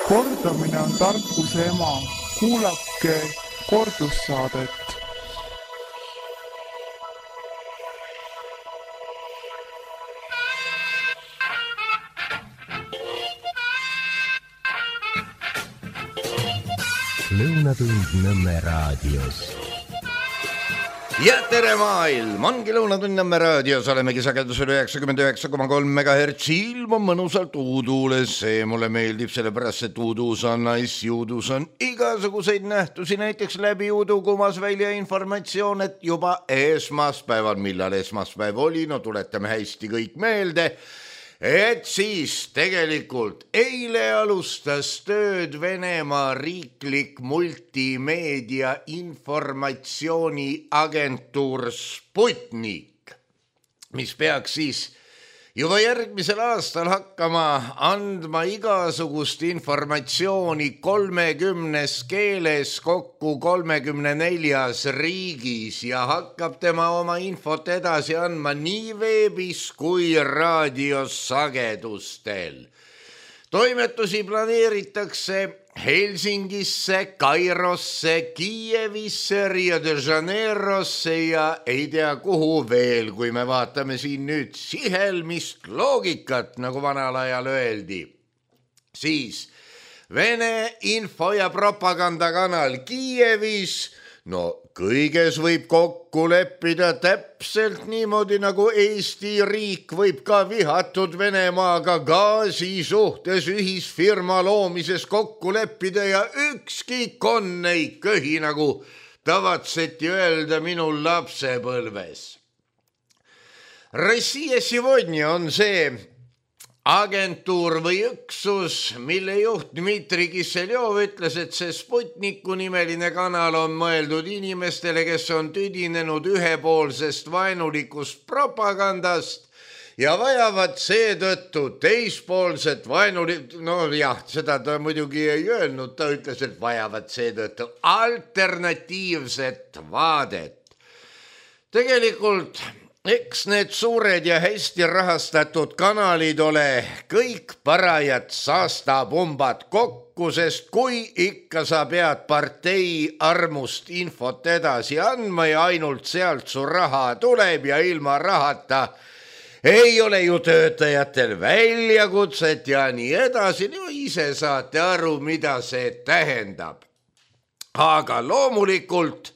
Kordamine on tarkuse ema. Kuulake kordussaadet. Lõunatund Nõmme raadios. Ja tere maailm, ongi Lõunatund Nõmme raadios, olemegi sagedusel 99,3 MHz, ilm on mõnusalt uuduules, see mulle meeldib, sellepärast et uuduus on nice, juudus on igasuguseid nähtusi, näiteks läbi uudu kumas välja informatsioon, et juba esmaspäeval, millal esmaspäev oli, no tuletame hästi kõik meelde, et siis tegelikult eile alustas tööd Venemaa riiklik multimeedia informatsiooniagentuur Sputnik, mis peaks siis juba järgmisel aastal hakkama andma igasugust informatsiooni 30 keeles kokku 34 riigis ja hakkab tema oma infot edasi andma nii veebis kui raadiosagedustel. Toimetusi planeeritakse Helsingisse, Kairosse, Kiievisse, Rio de Janeirosse ja ei tea kuhu veel, kui me vaatame siin nüüd sihelmist loogikat, nagu vanal ajal öeldi. Siis Vene info- ja propagandakanal Kiievis, no kõiges võib kokku leppida täpselt niimoodi, nagu Eesti riik võib ka vihatud Venemaaga gaasi suhtes ühisfirma loomises kokku leppida ja ükski konn ei köhi, nagu tavatseti öelda minu lapsepõlves. Rossija Сегодня on see agentuur või üksus, mille juht Dmitri Kisseljov ütles, et see Sputniku nimeline kanal on mõeldud inimestele, kes on tüdinenud ühepoolsest vaenulikust propagandast ja vajavad seetõttu teispoolset no jah, seda ta muidugi ei öelnud, ta ütles, et vajavad seetõttu alternatiivset vaadet. Tegelikult eks need suured ja hästi rahastatud kanalid ole kõik parajad saastapumbad kokku, sest kui ikka sa pead partei armust infot edasi andma ja ainult sealt su raha tuleb ja ilma rahata ei ole ju töötajatel väljakutset ja nii edasi, no ise saate aru, mida see tähendab. Aga loomulikult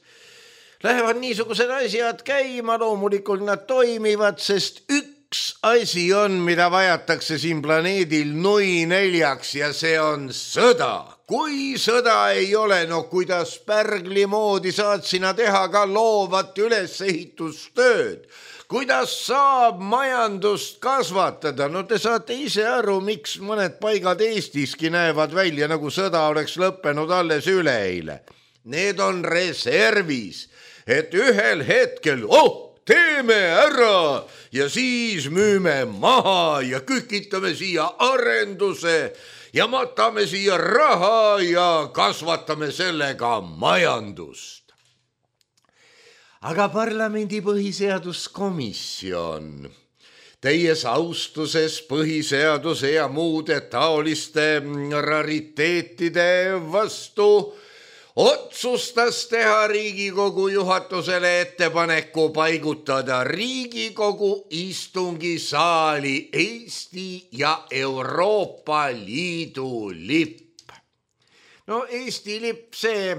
lähevad niisugused asjad käima, loomulikult nad toimivad, sest üks asi on, mida vajatakse siin planeedil nui neljaks ja see on sõda. Kui sõda ei ole, no kuidas pärgli moodi saad sina teha ka loovat ülesehitustööd? Kuidas saab majandust kasvatada? No te saate ise aru, miks mõned paigad Eestiski näevad välja, nagu sõda oleks lõppenud alles üleeile. Need on reservis. Et ühel hetkel, teeme ära ja siis müüme maha ja kükitame siia arenduse ja matame siia raha ja kasvatame sellega majandust. Aga parlamendi põhiseaduskomisjon, täies austuses põhiseaduse ja muude taoliste rariteetide vastu, otsustas teha Riigikogu juhatusele ettepaneku paigutada Riigikogu istungisaali Eesti ja Euroopa Liidu lipp. No Eesti lipp, see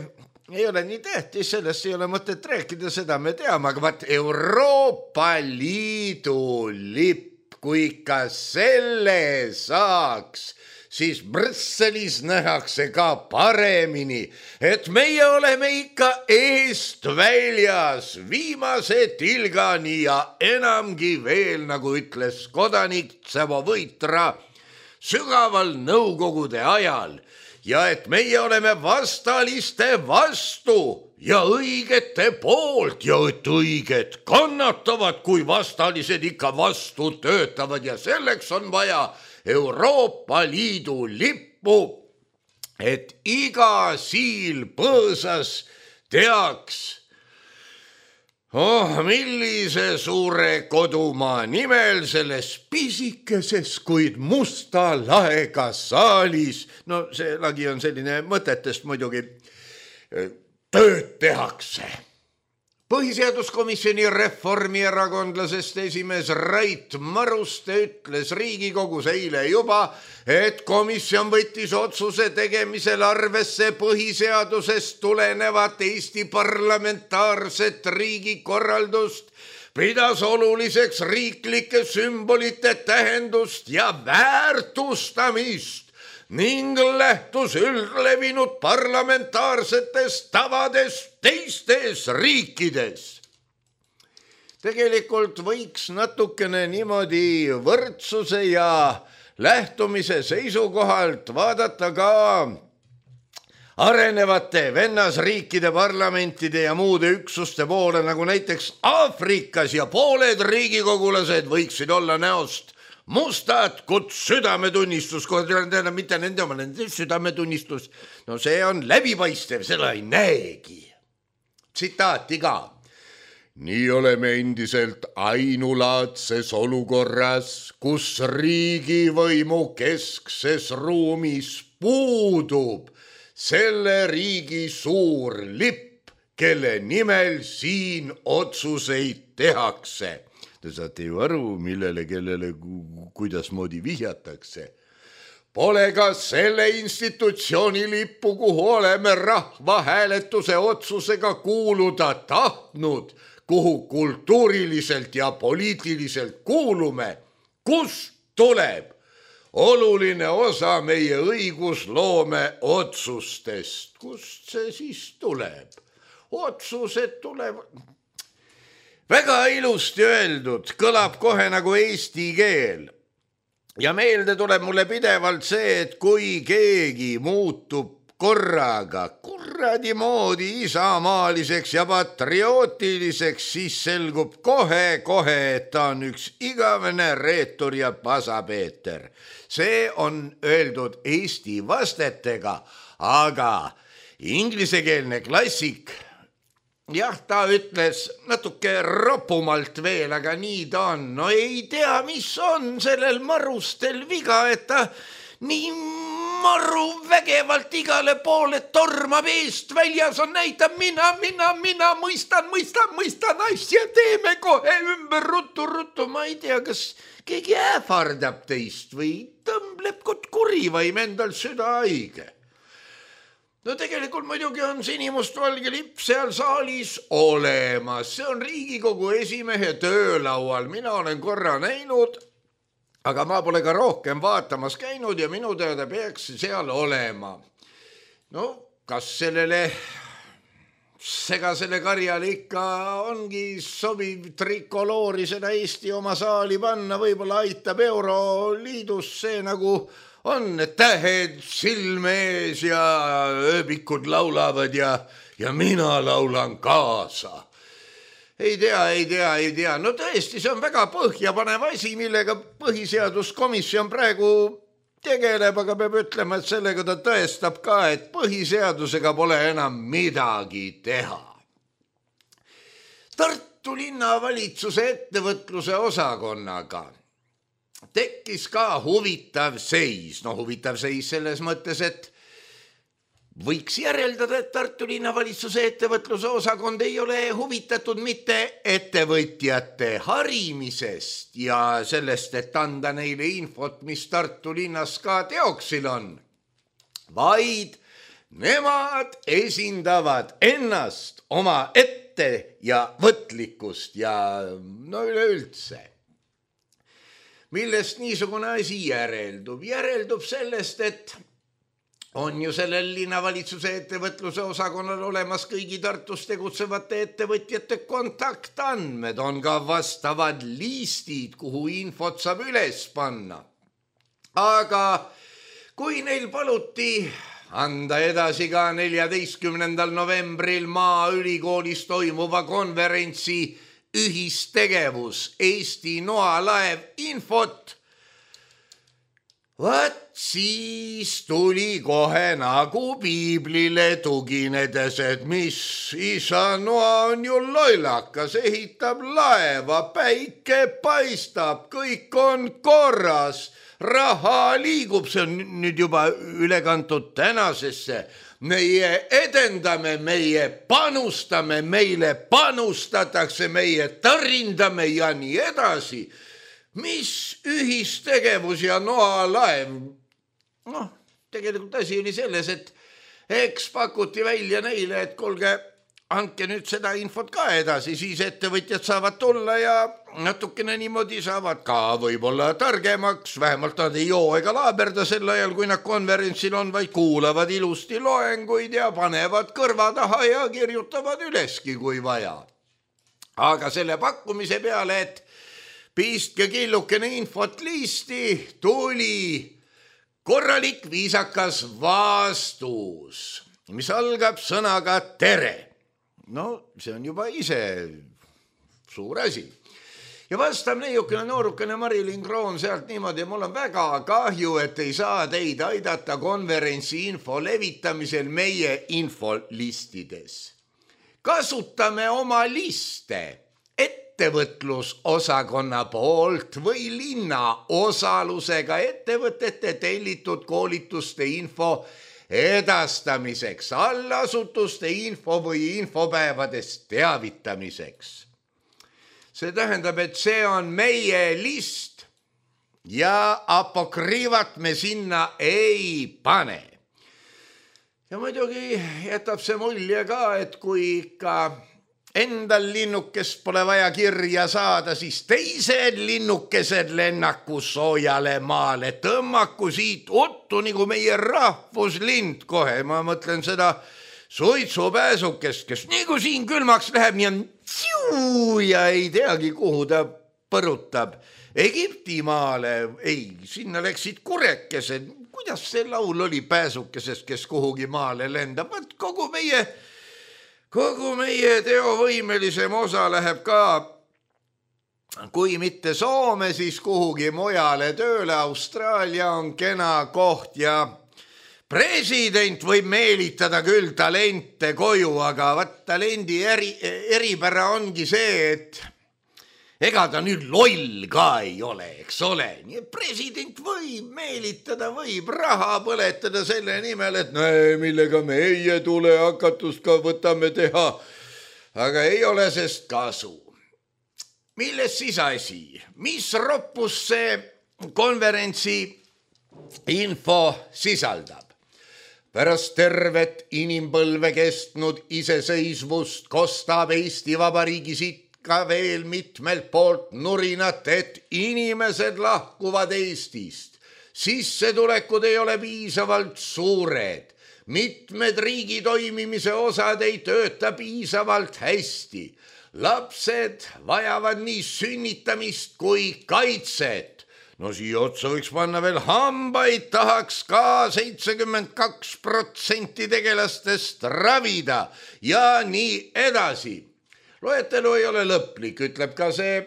ei ole nii tähtis, sellest ei ole mõtet rääkida, seda me teame, aga vaat Euroopa Liidu lipp, kui ikka selle saaks, siis Brüsselis nähakse ka paremini, et meie oleme ikka eest väljas, viimase tilgani ja enamgi veel, nagu ütles kodanik Tsevo Võitra sügaval nõukogude ajal, ja et meie oleme vastaliste vastu ja õigete poolt ja et õiged kannatavad, kui vastalised ikka vastu töötavad ja selleks on vaja Euroopa Liidu lippu, et iga siil põõsas teaks, millise suure kodumaa nimel selles pisikeses, kuid musta laega saalis, no see lagi on selline mõtetest muidugi, tööd tehakse. Põhiseaduskomisjoni reformierakondlasest esimees Rait Maruste ütles Riigikogus eile juba, et komisjon võttis otsuse tegemisel arvesse põhiseadusest tulenevat Eesti parlamentaarset riigikorraldust, pidas oluliseks riiklike sümbolite tähendust ja väärtustamist ning lähtus üldlevinud parlamentaarsetest tavadest teistes riikides. Tegelikult võiks natukene niimoodi võrdsuse ja lähtumise seisukohalt vaadata ka arenevate vennasriikide parlamentide ja muude üksuste poole, nagu näiteks Aafrikas, ja pooled riigikogulased võiksid olla näost mustad, kuid südametunnistus, mitte nende oma, nende südametunnistus, no see on läbipaistev, seda ei näegi. Tsitaati ka. Nii oleme endiselt ainulaadses olukorras, kus riigivõimu keskses ruumis puudub selle riigi suur lipp, kelle nimel siin otsuseid tehakse. Te saate ju aru, millele, kellele, kuidasmoodi vihjatakse. Pole ka selle institutsiooni lippu, kuhu oleme rahvahääletuse otsusega kuuluda tahtnud, kuhu kultuuriliselt ja poliitiliselt kuulume, kust tuleb oluline osa meie õigusloome otsustest. Kust see siis tuleb? Otsused tulevad. Väga ilusti öeldud, kõlab kohe nagu eesti keel. Ja meelde tuleb mulle pidevalt see, et kui keegi muutub korraga kuradi moodi isamaaliseks ja patriootiliseks, siis selgub kohe, et ta on üks igavene reetur ja pasapeeter. See on öeldud eesti vastetega, aga inglisekeelne klassik, jah, ta ütles natuke ropumalt veel, aga nii ta on. No ei tea, mis on sellel Marustel viga, et ta nii maru vägevalt igale poole tormab eest väljas on, näitab mina mõistan asja, teeme kohe ümber ruttu. Ma ei tea, kas keegi ähvardab teist või tõmbleb kot kuri või endal süda haige. No tegelikult muidugi on sinimustvalge lipp seal saalis olemas. See on Riigikogu esimehe töölaual. Mina olen korra näinud, aga ma pole ka rohkem vaatamas käinud ja minu teada peaks seal olema. No, kas sellele segasele karjale ikka ongi sobiv trikoloori seda Eesti oma saali panna, võib-olla aitab Euroliidus see nagu on, et tähed silme ees ja ööbikud laulavad ja mina laulan kaasa. Ei tea. No tõesti, see on väga põhjapanev asi, millega põhiseaduskomisjon praegu tegeleb, aga peab ütlema, et sellega ta tõestab ka, et põhiseadusega pole enam midagi teha. Tartu linnavalitsuse ettevõtluse osakonnaga tekkis ka huvitav seis. No huvitav seis selles mõttes, et võiks järeldada, et Tartu linnavalitsuse ettevõtluse osakond ei ole huvitatud mitte ettevõtjate harimisest ja sellest, et anda neile infot, mis Tartu linnas ka teoksil on, vaid nemad esindavad ennast, oma ette ja võtlikkust ja no üleüldse. Millest niisugune asi järeldub? Järeldub sellest, et on ju sellel linnavalitsuse ettevõtluse osakonnal olemas kõigi Tartus tegutsevate ettevõtjate kontaktandmed, on ka vastavad liistid, kuhu infot saab üles panna. Aga kui neil paluti anda edasi ka 14. novembril Maaülikoolis toimuva konverentsi ühistegevus Eesti noalaev infot, Vaat siis tuli kohe nagu piiblile tuginedes, et mis isa Noa on ju lollakas, ehitab laeva, päike paistab, kõik on korras, raha liigub, see on nüüd juba üle kantud tänasesse. Meie edendame, meie panustame, meile panustatakse, meie tarindame ja nii edasi. Mis ühistegevus ja Noa laev? Noh, tegelikult asi oli selles, et eks pakuti välja neile, et kuulge, andke nüüd seda infot ka edasi, siis ettevõtjad saavad tulla ja natukene niimoodi saavad ka võib-olla targemaks, vähemalt nad ei joo ega laaberda sel ajal, kui nad konverentsil on, vaid kuulavad ilusti loenguid ja panevad kõrva taha ja kirjutavad üleski, kui vaja. Aga selle pakkumise peale, et pistke killukene infot listi, tuli korralik viisakas vastus, mis algab sõnaga tere. No see on juba ise suur asi. Ja vastab neiukene noorukene Marilyn Kroon sealt niimoodi, mul on väga kahju, et ei saa teid aidata konverentsi info levitamisel meie infolistides. Kasutame oma liste ettevõtlusosakonna poolt või linna osalusega ettevõtete tellitud koolituste info edastamiseks, allasutuste info või infopäevadest teavitamiseks. See tähendab, et see on meie list ja apokrüüvat me sinna ei pane. Ja muidugi jätab see mulje ka, et kui ikka endal linnukest pole vaja kirja saada, siis teised linnukesed lennaku soojale maale, tõmmaku siit ottu nagu meie rahvuslind kohe. Ma mõtlen seda suitsupääsukest, kes nagu siin külmaks läheb nii on ja ei teagi, kuhu ta põrutab. Egiptimaale, ei, sinna läksid kurekesed. Kuidas see laul oli pääsukesest, kes kuhugi maale lendab? Vaat kogu meie teovõimelisem osa läheb ka, kui mitte Soome, siis kuhugi mujale tööle. Austraalia on kena koht ja president võib meelitada küll talente koju, aga vaat talendi eripära ongi see, et ega ta nüüd loll ka ei ole, eks ole. Nii et president võib meelitada, võib raha põletada selle nimel, et näe, millega meie tulehakatust ka võtame teha. Aga ei ole sest kasu. Milles siis asi? Mis roppus see konverentsi info sisaldab? Pärast tervet inimpõlve kestnud iseseisvust kostab Eesti Vabariigi siit ka veel mitmelt poolt nurinat, et inimesed lahkuvad Eestist. Sissetulekud ei ole piisavalt suured. Mitmed riigi toimimise osad ei tööta piisavalt hästi. Lapsed vajavad nii sünnitamist kui kaitset. No siia otsa võiks panna veel hambaid, tahaks ka 72% tegelastest ravida ja nii edasi. Loetelu ei ole lõplik, ütleb ka see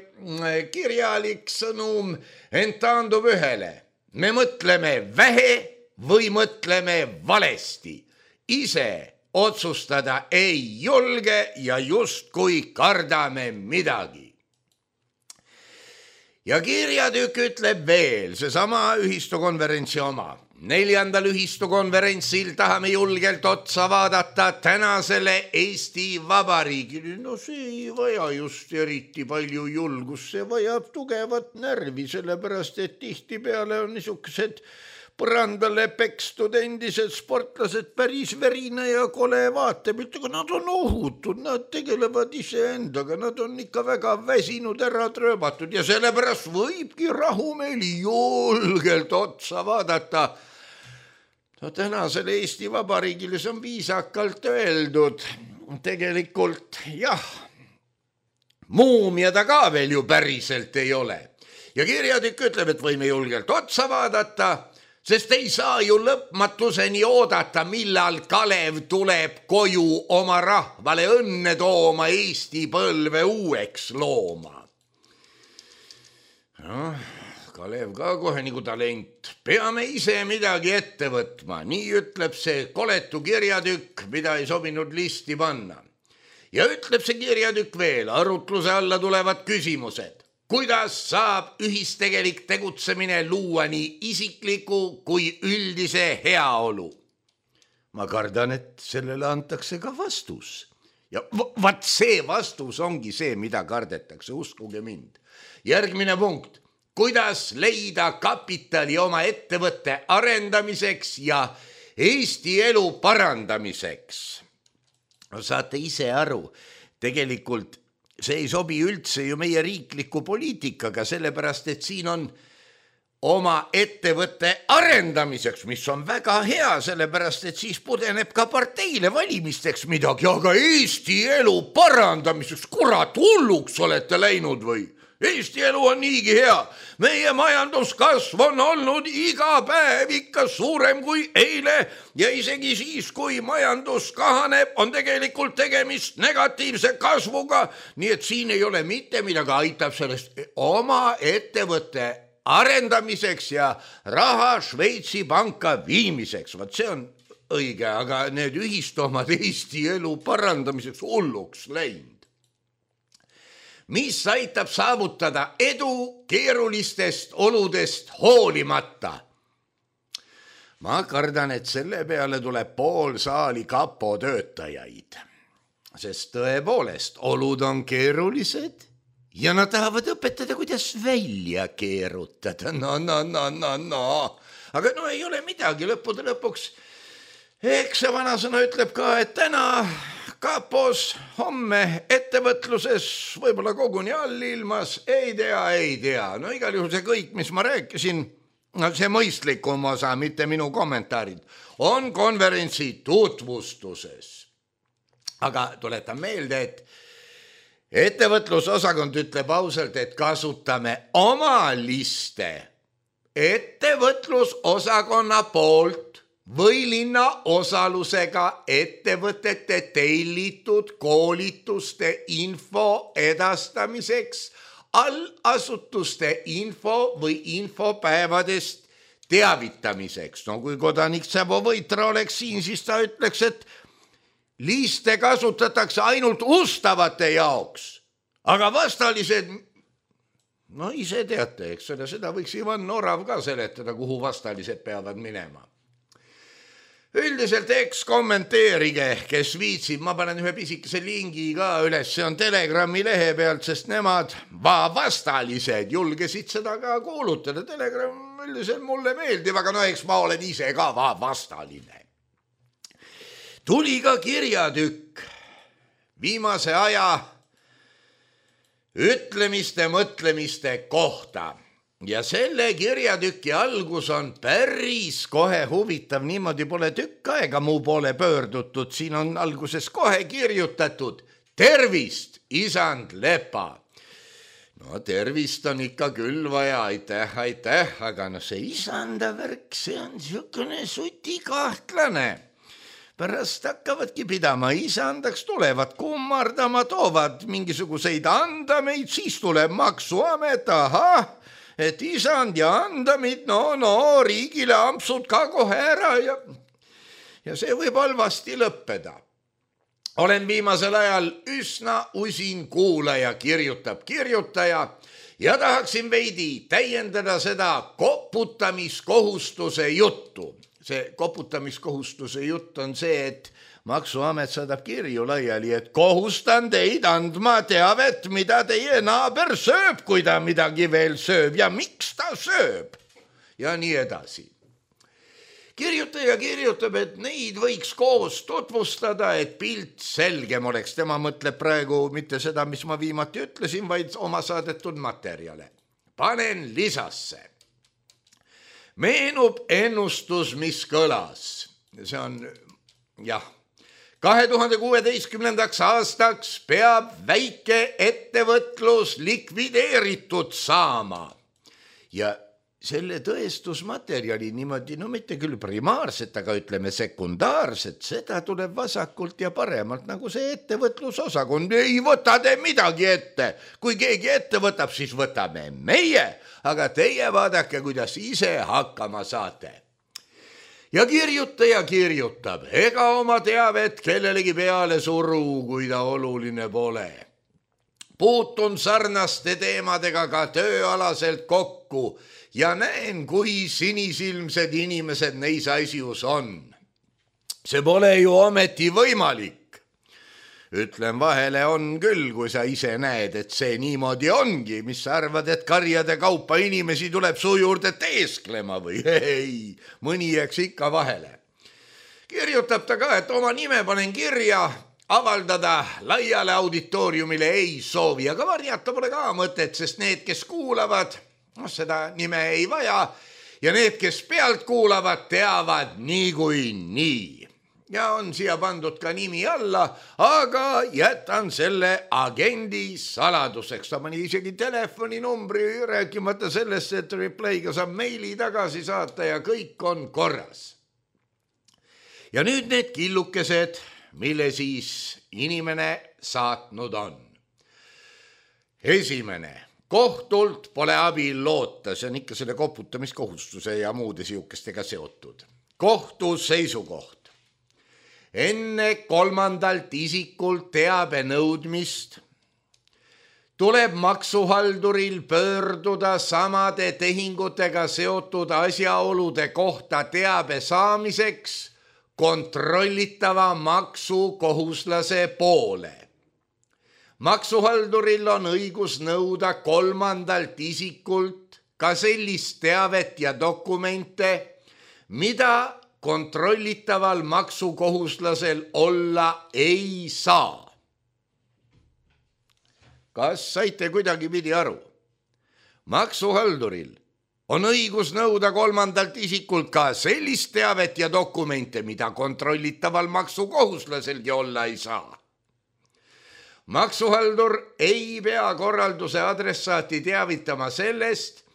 kirjalik sõnum, ent taandub ühele. Me mõtleme vähe või mõtleme valesti. Ise otsustada ei julge ja justkui kardame midagi. Ja kirjatükk ütleb veel, seesama ühistukonverentsi oma. 4. ühistukonverentsil tahame julgelt otsa vaadata tänasele Eesti Vabariigile. No see ei vaja just eriti palju julgust, see vajab tugevat närvi, sellepärast et tihtipeale on niisugused põrandale pekstud endised sportlased päris verine ja kole vaatepilt, aga nad on ohutud, nad tegelevad iseendaga, nad on ikka väga väsinud, ära trööbatud ja sellepärast võibki rahumeeli julgelt otsa vaadata. No tänasele Eesti Vabariigile see on viisakalt öeldud. Tegelikult jah, muumia ta ka veel ju päriselt ei ole. Ja kirjatükk ütleb, et võime julgelt otsa vaadata, sest ei saa ju lõpmatuseni oodata, millal Kalev tuleb koju oma rahvale õnne tooma, Eesti põlve uueks looma. Kalev ka kohe nagu talent. Peame ise midagi ette võtma, nii ütleb see koletu kirjatükk, mida ei sobinud listi panna. Ja ütleb see kirjatükk veel, arutluse alla tulevad küsimused. Kuidas saab ühistegelik tegutsemine luua nii isikliku kui üldise heaolu? Ma kardan, et sellele antakse ka vastus. Ja vaat see vastus ongi see, mida kardetakse, uskuge mind. Järgmine punkt. Kuidas leida kapitali oma ettevõtte arendamiseks ja Eesti elu parandamiseks? No, saate ise aru, tegelikult see ei sobi üldse ju meie riikliku poliitikaga, sellepärast, et siin on oma ettevõtte arendamiseks, mis on väga hea, sellepärast, et siis pudeneb ka parteile valimisteks midagi, aga Eesti elu parandamiseks, kurat, hulluks olete läinud või? Eesti elu on niigi hea. Meie majanduskasv on olnud iga päev ikka suurem kui eile ja isegi siis, kui majandus kahaneb, on tegelikult tegemist negatiivse kasvuga. Nii et siin ei ole mitte midagi, aitab sellest oma ettevõtte arendamiseks ja raha Šveitsi panka viimiseks. Vaat see on õige, aga need ühistomad Eesti elu parandamiseks hulluks läinud. Mis aitab saavutada edu keerulistest oludest hoolimata? Ma kardan, et selle peale tuleb pool saali kapo töötajaid, sest tõepoolest olud on keerulised ja nad tahavad õpetada, kuidas välja keerutada. No. Aga no ei ole midagi, lõppude lõpuks. Eks see vanasõna ütleb ka, et täna kapos, homme ettevõtluses, võib-olla koguni allilmas, ei tea. No igal juhul see kõik, mis ma rääkisin, see mõistlikum osa, mitte minu kommentaarid, on konverentsi tutvustuses. Aga tuletan meelde, et ettevõtlusosakond ütleb ausalt, et kasutame oma liste ettevõtlusosakonna poolt või linna osalusega ettevõtete tellitud koolituste info edastamiseks, allasutuste info või infopäevadest teavitamiseks. No kui kodanik Sävo Võitra oleks siin, siis ta ütleks, et liste kasutatakse ainult ustavate jaoks, aga vastalised, no ise teate, eks ole, seda võiks Ivan Orav ka seletada, kuhu vastalised peavad minema. Üldiselt eks kommenteerige, kes viitsib, ma panen ühe pisikese lingi ka üles, see on Telegrami lehe pealt, sest nemad vastalised julgesid seda ka kuulutada. Telegram üldiselt mulle meeldib, aga no eks ma olen ise ka vastaline. Tuli ka kirjatükk viimase aja ütlemiste, mõtlemiste kohta. Ja selle kirjatüki algus on päris kohe huvitav, niimoodi pole tükk aega muu poole pöördutud, siin on alguses kohe kirjutatud tervist, isand Lepa. No tervist on ikka küll vaja, aitäh, aga no see isanda värk, see on niisugune sutikahtlane. Pärast hakkavadki pidama, isandaks tulevad kummardama, toovad mingisuguseid andameid, siis tuleb maksuamet, et isand ja andamid, no riigile ampsud ka kohe ära ja see võib halvasti lõppeda. Olen viimasel ajal üsna usin kuulaja, kirjutab kirjutaja ja tahaksin veidi täiendada seda koputamiskohustuse juttu. See koputamiskohustuse jutt on see, et maksuamet saadab kirju laiali, et kohustan teid andma teavet, mida teie naaber sööb, kui ta midagi veel sööb ja miks ta sööb ja nii edasi. Kirjutaja kirjutab, et neid võiks koos tutvustada, et pilt selgem oleks. Tema mõtleb praegu mitte seda, mis ma viimati ütlesin, vaid oma saadetud materjale. Panen lisasse. Meenub ennustus, mis kõlas. See on, 2016. aastaks peab väike ettevõtlus likvideeritud saama. Ja selle tõestusmaterjali niimoodi, no mitte küll primaarset, aga ütleme sekundaarset, seda tuleb vasakult ja paremalt, nagu see ettevõtlusosakond. Ei võta te midagi ette. Kui keegi ette võtab, siis võtame meie, aga teie vaadake, kuidas ise hakkama saate. Ja kirjutab, ega oma teavet kellelegi peale suru, kui ta oluline pole. Puutun sarnaste teemadega ka tööalaselt kokku ja näen, kui sinisilmsed inimesed neis asjus on. See pole ju ometi võimalik. Ütlen vahele on küll, kui sa ise näed, et see niimoodi ongi, mis sa arvad, et karjade kaupa inimesi tuleb su juurde teesklema või ei, mõni jääks ikka vahele. Kirjutab ta ka, et oma nime panen kirja, avaldada laiale auditooriumile ei soovi, aga varjata pole ka mõtet, sest need, kes kuulavad, seda nime ei vaja ja need, kes pealt kuulavad, teavad niikuinii. Ja on siia pandud ka nimi alla, aga jätan selle agendi saladuseks. Ta pani isegi telefoninumbri, rääkimata sellest, et replay'ga saab meili tagasi saata ja kõik on korras. Ja nüüd need killukesed, mille siis inimene saatnud on. Esimene. Kohtult pole abil loota, see on ikka selle koputamiskohustuse ja muude siukestega seotud. Kohtu seisukoht. Enne kolmandalt isikult teabe nõudmist tuleb maksuhalduril pöörduda samade tehingutega seotud asjaolude kohta teabe saamiseks kontrollitava maksukohuslase poole. Maksuhalduril on õigus nõuda kolmandalt isikult ka sellist teavet ja dokumente, mida kontrollitaval maksukohuslasel olla ei saa. Kas saite kuidagi pidi aru? Maksuhalduril on õigus nõuda kolmandalt isikult ka sellist teavet ja dokumente, mida kontrollitaval maksukohuslaselgi olla ei saa. Maksuhaldur ei pea korralduse adressaati teavitama sellest,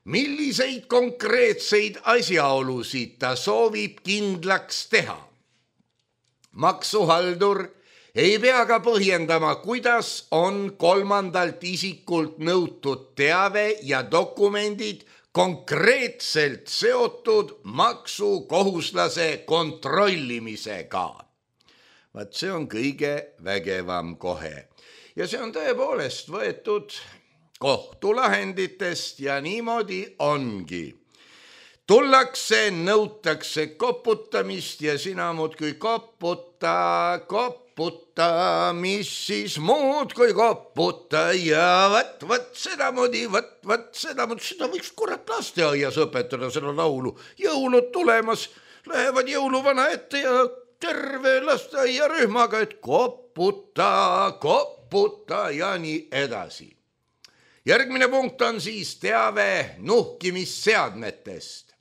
milliseid konkreetseid asjaolusid ta soovib kindlaks teha. Maksuhaldur ei pea ka põhjendama, kuidas on kolmandalt isikult nõutud teave ja dokumendid konkreetselt seotud maksukohuslase kontrollimisega. Vaat see on kõige vägevam kohe. Ja see on tõepoolest võetud kohtulahenditest ja niimoodi ongi. Tullakse, nõutakse koputamist ja sina muudkui koputa, mis siis muud kui koputa ja võt sedamoodi, seda võiks kurat lasteaias õpetada seda laulu. Jõulud tulemas, lähevad jõuluvana ette ja terve lasteaiarühmaga, et koputa ja nii edasi. Järgmine punkt on siis teave nuhkimisseadmetest.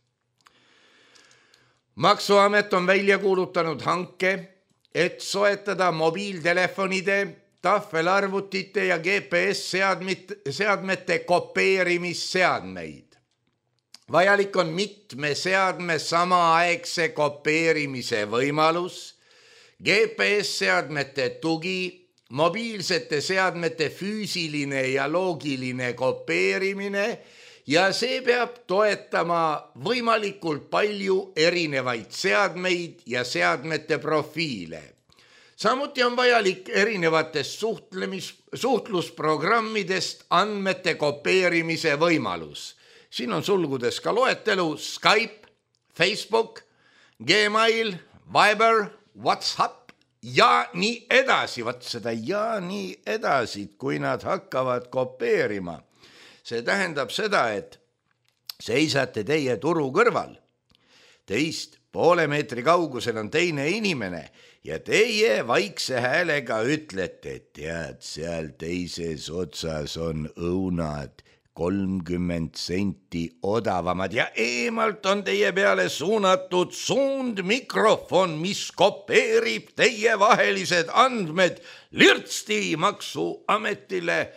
Maksuamet on välja kuulutanud hanke, et soetada mobiiltelefonide, tahvelarvutite ja GPS-seadmete kopeerimisseadmeid. Vajalik on mitme seadme samaaegse kopeerimise võimalus, GPS-seadmete tugi, mobiilsete seadmete füüsiline ja loogiline kopeerimine ja see peab toetama võimalikult palju erinevaid seadmeid ja seadmete profiile. Samuti on vajalik erinevatest suhtlusprogrammidest andmete kopeerimise võimalus. Siin on sulgudes ka loetelu Skype, Facebook, Gmail, Viber, WhatsApp ja nii edasi. Vaat seda ja nii edasi, kui nad hakkavad kopeerima. See tähendab seda, et seisate teie turu kõrval. Teist poole meetri kaugusel on teine inimene ja teie vaikse häälega ütlete, tead, seal teises otsas on õunad 30 senti odavamad ja eemalt on teie peale suunatud suundmikrofon, mis kopeerib teie vahelised andmed lirtsti maksuametile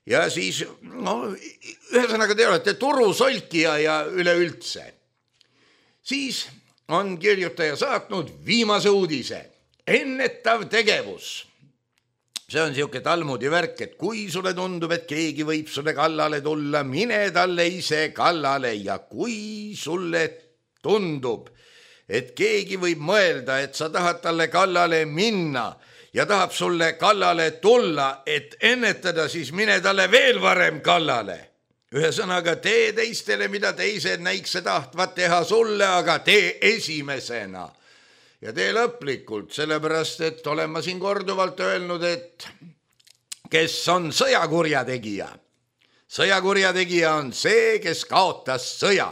ja siis, ühesõnaga te olete turusolkija ja üleüldse. Siis on kirjutaja saatnud viimase uudise. Ennetav tegevus. See on siuke Talmudi värk, et kui sulle tundub, et keegi võib sulle kallale tulla, mine talle ise kallale ja kui sulle tundub, et keegi võib mõelda, et sa tahad talle kallale minna ja tahab sulle kallale tulla, et ennetada, siis mine talle veel varem kallale. Ühesõnaga, tee teistele, mida teised näikse tahtvat teha sulle, aga tee esimesena. Ja tee lõplikult, sellepärast, et olen ma siin korduvalt öelnud, et kes on sõjakurjategija. Sõjakurjategija on see, kes kaotas sõja,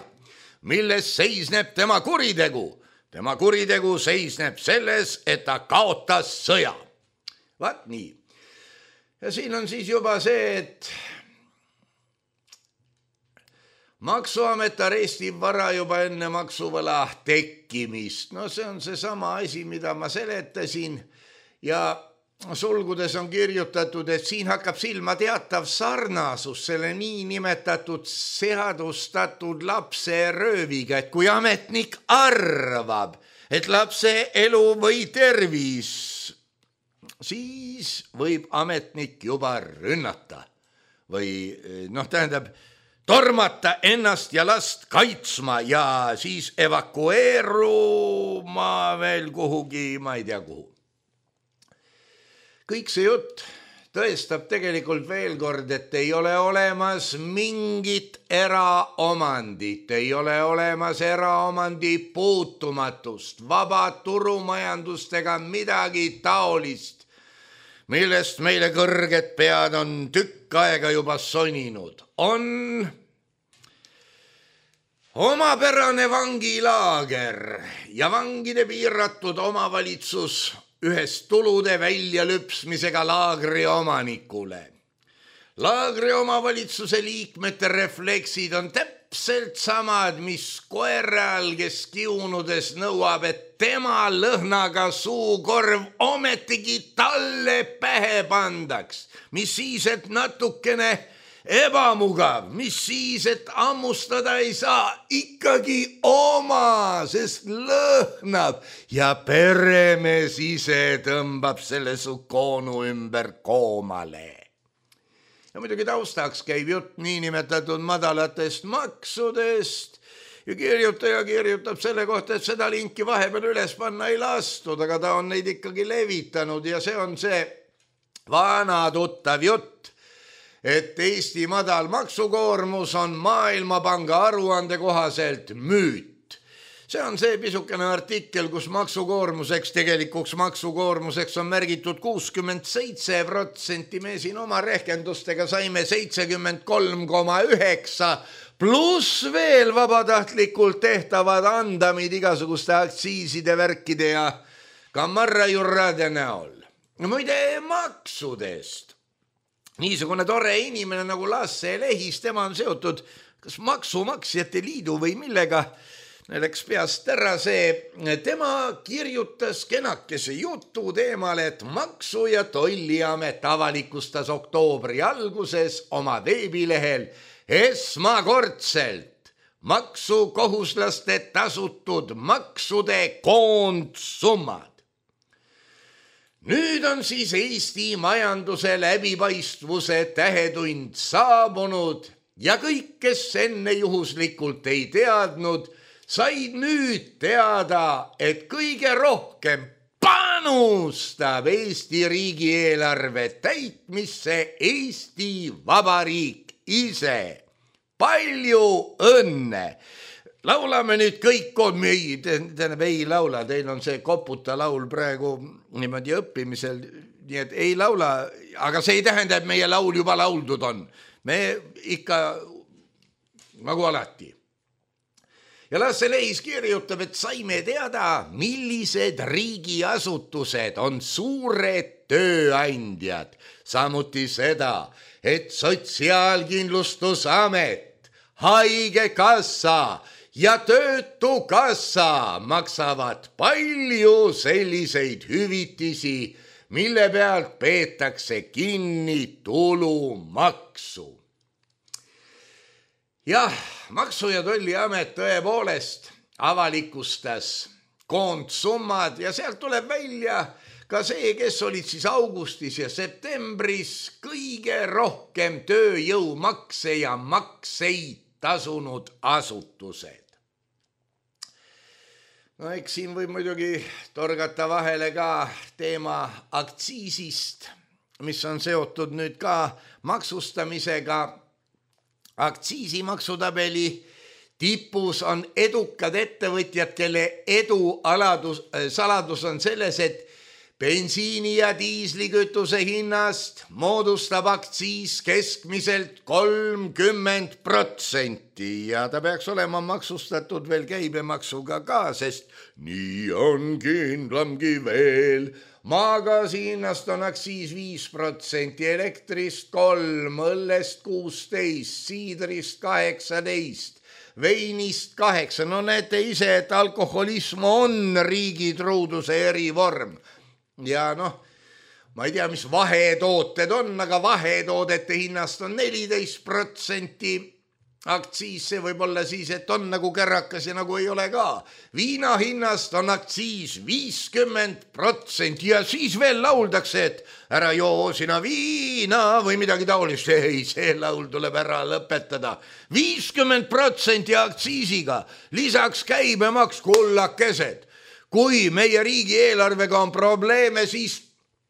milles seisneb tema kuritegu. Tema kuritegu seisneb selles, et ta kaotas sõja. Vaat nii. Ja siin on siis juba see, et Maksuamet arestib vara juba enne maksuvõla tekkimist. No see on seesama asi, mida ma seletasin ja sulgudes on kirjutatud, et siin hakkab silma teatav sarnasus selle niinimetatud seadustatud lapse rööviga, et kui ametnik arvab, et lapse elu või tervis, siis võib ametnik juba rünnata või tähendab, tormata ennast ja last kaitsma ja siis evakueeruma veel kuhugi, ma ei tea kuhu. Kõik see jutt tõestab tegelikult veel kord, et ei ole olemas mingit eraomandit, ei ole olemas eraomandi puutumatust, vaba turumajandust ega midagi taolist, millest meile kõrged pead on tükk aega juba soninud. On omapärane vangilaager ja vangide piiratud omavalitsus ühest tulude väljalüpsmisega laagri omanikule. Laagri omavalitsuse liikmete refleksid on täpselt samad, mis koeral, kes kiunudes nõuab, et tema lõhnaga suukorv ometigi talle pähe pandaks. Mis siis, et natukene ebamugav, mis siis, et ammustada ei saa, ikkagi oma, sest lõhnab ja peremees ise tõmbab selle su koonu ümber koomale. Ja muidugi taustaks käib jutt niinimetatud madalatest maksudest ja kirjutaja kirjutab selle kohta, et seda linki vahepeal üles panna ei lastud, aga ta on neid ikkagi levitanud ja see on see vana tuttav jutt, et Eesti madal maksukoormus on Maailmapanga aruande kohaselt müüt. See on see pisukene artikkel, kus tegelikuks maksukoormuseks on märgitud 67%, me siin oma rehkendustega saime 73,9 pluss veel vabatahtlikult tehtavad andamid igasuguste aktsiiside, värkide ja kammarrajurrade näol. Muide maksudest. Niisugune tore inimene nagu Lasse Lehis, tema on seotud kas maksumaksjate liidu või millega, läks peast ära see, tema kirjutas kenakese jutu teemal, et Maksu- ja Tolliamet avalikustas oktoobri alguses oma veebilehel esmakordselt maksukohuslaste tasutud maksude koondsummad. Nüüd on siis Eesti majanduse läbipaistvuse tähetund saabunud ja kõik, kes enne juhuslikult ei teadnud, said nüüd teada, et kõige rohkem panustab Eesti riigieelarve täitmisse Eesti Vabariik ise. Palju õnne! Laulame nüüd kõik kood, ei laula, teil on see koputa laul praegu niimoodi õppimisel, nii et ei laula, aga see ei tähenda, et meie laul juba lauldud on. Me ikka nagu alati. Ja Lasse Lehis kirjutab, et saime teada, millised riigiasutused on suured tööandjad. Samuti seda, et Sotsiaalkindlustusamet, Haigekassa ja Töötukassa maksavad palju selliseid hüvitisi mille pealt peetakse kinni tulumaksu. Jah, Maksu- ja Tolliamet tõepoolest avalikustas koondsummad ja sealt tuleb välja ka see, kes olid siis augustis ja septembris kõige rohkem tööjõumakse ja makseid tasunud asutused. No eks siin võib muidugi torgata vahele ka teema aktsiisist, mis on seotud nüüd ka maksustamisega. Aktsiisimaksutabeli tipus on edukad ettevõtjad, kelle edu saladus on selles, et bensiini ja diislikütuse hinnast moodustab aktsiis keskmiselt 30% ja ta peaks olema maksustatud veel käibemaksuga ka, sest nii on kindlamgi veel. Maagaasi hinnast on aktsiis 5%, elektrist 3%, õllest 16%, siidrist 18%, veinist 8%. No näete ise, et alkoholism on riigi truuduse erivorm. Ja ma ei tea, mis vahetooted on, aga vahetoodete hinnast on 14% aktsiis. See võib olla siis, et on nagu kärakas ja nagu ei ole ka. Viina hinnast on aktsiis 50% ja siis veel lauldakse, et ära joo sina viina või midagi taolist. Ei, see laul tuleb ära lõpetada. 50% aktsiisiga, lisaks käibemaks, kullakesed. Kui meie riigieelarvega on probleeme, siis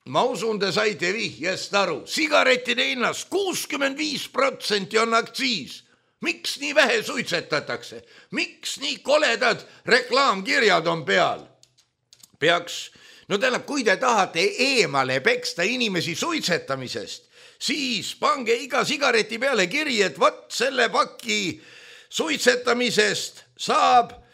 ma usun, te saite vihjest aru. Sigarettide hinnast 65% on aktsiis. Miks nii vähe suitsetatakse? Miks nii koledad reklaamkirjad on peal? Kui te tahate eemale peksta inimesi suitsetamisest, siis pange iga sigareti peale kiri, et vot selle paki suitsetamisest saab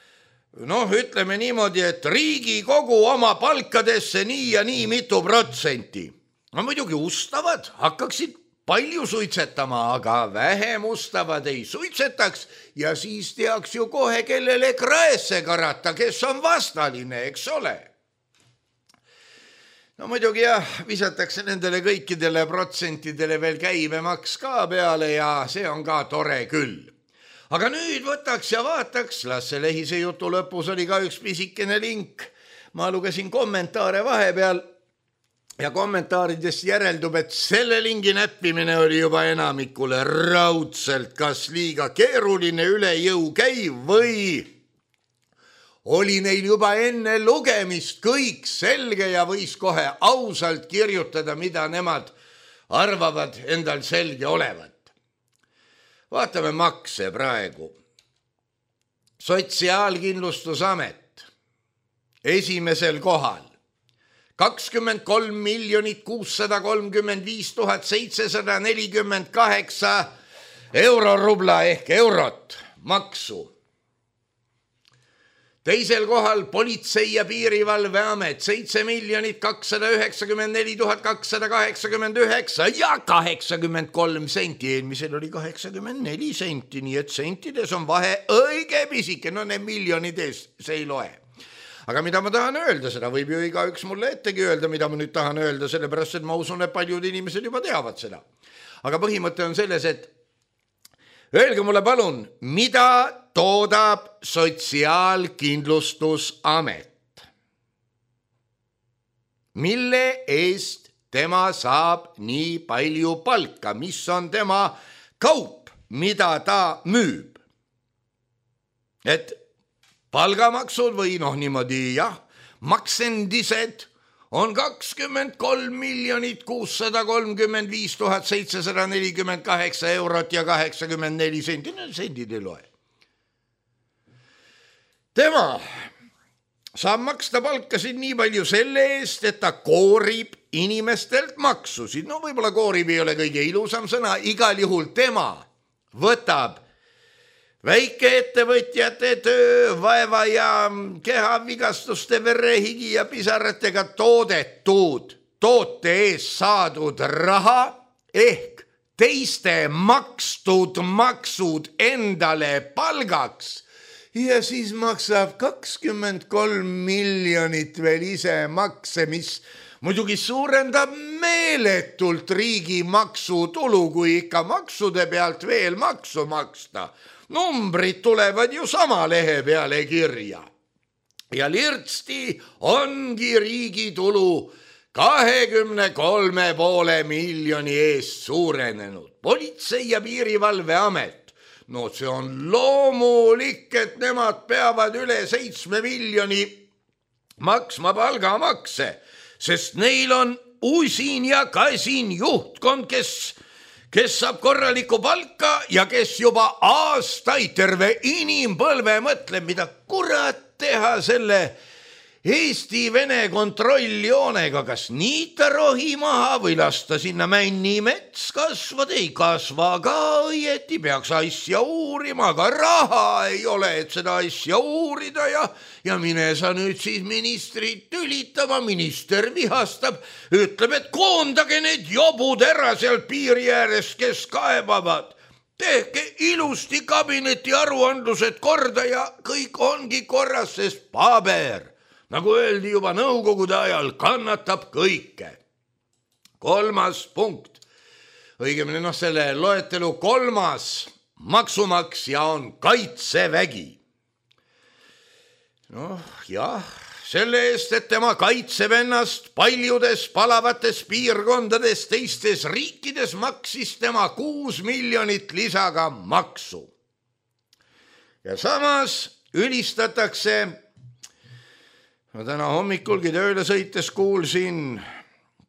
ütleme niimoodi, et Riigikogu oma palkadesse nii ja nii mitu protsenti. No muidugi ustavad, hakkaksid palju suitsetama, aga vähem ustavad ei suitsetaks ja siis teaks ju kohe, kellele kraesse karata, kes on vastaline, eks ole. No muidugi jah, visatakse nendele kõikidele protsentidele veel käibemaks ka peale ja see on ka tore küll. Aga nüüd võtaks ja vaataks, las see lehise jutu lõpus oli ka üks pisikene link. Ma lugesin kommentaare vahepeal ja kommentaaridest järeldub, et selle lingi näppimine oli juba enamikule raudselt kas liiga keeruline, üle jõu käiv või oli neil juba enne lugemist kõik selge ja võis kohe ausalt kirjutada, mida nemad arvavad endal selge olevat. Vaatame makse praegu. Sotsiaalkindlustusamet esimesel kohal 23 635 748 eurorubla ehk eurot maksu. Teisel kohal Politsei- ja Piirivalveamet 7 294 289 ja 83 senti. Eelmisel oli 84 senti, nii et sentides on vahe õige pisike. No need miljonid ees, see ei loe. Aga mida ma tahan öelda, seda võib ju igaüks mulle ettegi öelda, mida ma nüüd tahan öelda, sellepärast, et ma usun, et paljud inimesed juba teavad seda. Aga põhimõte on selles, et öelge mulle palun, mida toodab Sotsiaalkindlustusamet? Mille eest tema saab nii palju palka? Mis on tema kaup, mida ta müüb? Et palgamaksud või niimoodi maksendised on 23 635 748 eurot ja 84 senti. Sendid ei loe. Tema saab maksta palkasid nii palju selle eest, et ta koorib inimestelt maksusid. No võib-olla koorib ei ole kõige ilusam sõna, igal juhul tema võtab väikeettevõtjate töö, vaeva ja kehavigastuste, verehigi ja pisaratega toodetud toote eest saadud raha ehk teiste makstud maksud endale palgaks ja siis maksab 23 miljonit veel ise makse, mis Muidugi suurendab meeletult riigi maksutulu, kui ikka maksude pealt veel maksu maksta. Numbrid tulevad ju sama lehe peale kirja. Ja lirtsti ongi riigi tulu 23,5 miljoni eest suurenenud. Politsei- ja piirivalveamet. No see on loomulik, et nemad peavad üle 7 miljoni maksma palgamakse, sest neil on usin ja kasin juhtkond, kes saab korralikku palka ja kes juba aastaid terve inimpõlve mõtleb, mida kurat teha selle Eesti-Vene kontrolljoonega, kas niita rohi maha või lasta sinna männi mets kasvada, ei kasva ka õieti, peaks asja uurima, aga raha ei ole, et seda asja uurida ja mine sa nüüd siis ministrit tülitama, minister vihastab, ütleb, et koondage need jobud ära sealt piiri äärest, kes kaebavad. Tehke ilusti kabineti aruandlused korda ja kõik ongi korras, sest paber, nagu öeldi juba nõukogude ajal, kannatab kõike. 3. punkt, õigemini selle loetelu 3. maksumaksja on Kaitsevägi. Jah, selle eest, et tema kaitseb ennast paljudes palavates piirkondades teistes riikides, maksis tema 6 miljonit lisaga maksu. Ja samas ülistatakse, ma täna hommikulgi tööle sõites kuulsin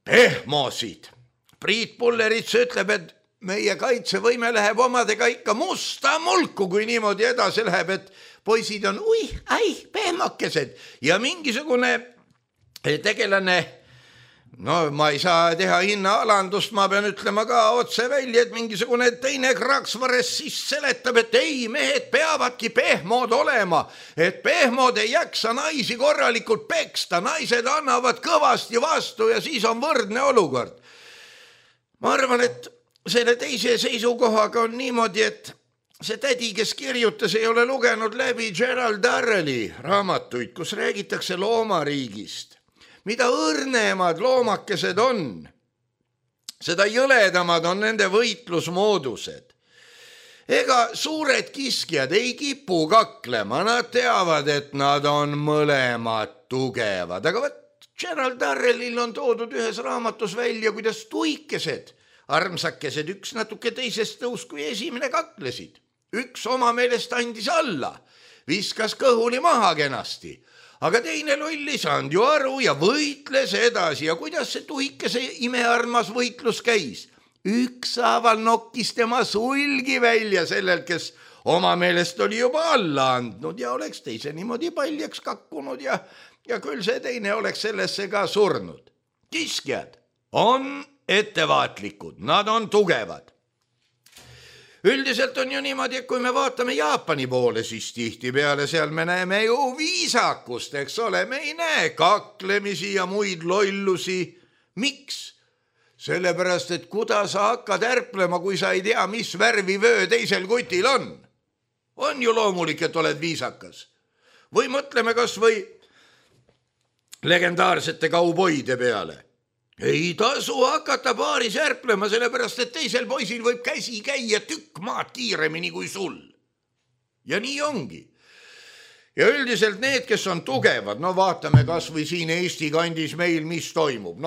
pehmosid. Priit Pullerits ütleb, et meie kaitsevõime läheb omadega ikka musta mulku, kui niimoodi edasi läheb, et poisid on pehmokesed ja mingisugune tegelane, ma ei saa teha hinnaalandust, ma pean ütlema ka otse välja, et mingisugune teine kraksvares siis seletab, et ei, mehed peavadki pehmod olema, et pehmod ei jaksa naisi korralikult peksta, naised annavad kõvasti vastu ja siis on võrdne olukord. Ma arvan, et selle teise seisukohaga on niimoodi, et see tädi, kes kirjutas, ei ole lugenud läbi Gerald Darrelli raamatuid, kus räägitakse loomariigist. Mida õrnemad loomakesed on, seda jõledamad on nende võitlusmoodused. Ega suured kiskjad ei kipu kaklema, nad teavad, et nad on mõlemad tugevad. Aga Gerald Darrellil on toodud ühes raamatus välja, kuidas tuikesed, armsakesed, üks natuke teisest tõus, kui esimene kaklesid. Üks oma meelest andis alla, viskas kõhuli maha kenasti, aga teine loll ei saanud ju aru ja võitles edasi. Ja kuidas see tuikese imearmas võitlus käis? Ükshaaval nokkis tema sulgi välja sellel, kes oma meelest oli juba alla andnud ja oleks teise niimoodi paljaks kakkunud ja küll see teine oleks sellesse ka surnud. Kiskjad on ettevaatlikud, nad on tugevad. Üldiselt on ju niimoodi, et kui me vaatame Jaapani poole, siis tihtipeale seal me näeme ju viisakust, eks ole, me ei näe kaklemisi ja muid lollusi. Miks? Sellepärast, et kuidas sa hakkad ärplema, kui sa ei tea, mis värvi vöö teisel kutil on. On ju loomulik, et oled viisakas. Või mõtleme kas või legendaarsete kauboide peale. Ei tasu hakata paaris ärplema, sellepärast, et teisel poisil võib käsi käia tükk maad kiiremini kui sul. Ja nii ongi. Ja üldiselt need, kes on tugevad, vaatame kas või siin Eesti kandis meil, mis toimub.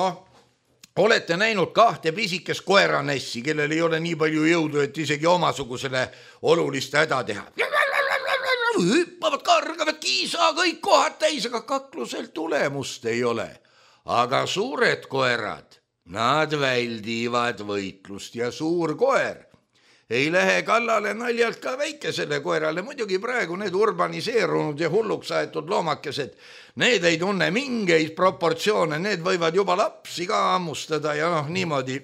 Olete näinud 2 pisikest koeranessi, kellel ei ole nii palju jõudu, et isegi omasugusele olulist häda teha. Hüppavad, kargavad, kiisa, kõik kohad täis, aga kaklusel tulemust ei ole. Aga suured koerad, nad väldivad võitlust ja suur koer ei lähe kallale naljalt ka väikesele koerale. Muidugi praegu need urbaniseerunud ja hulluks aetud loomakesed, need ei tunne mingeid proportsioone, need võivad juba lapsi ka ammustada ja niimoodi.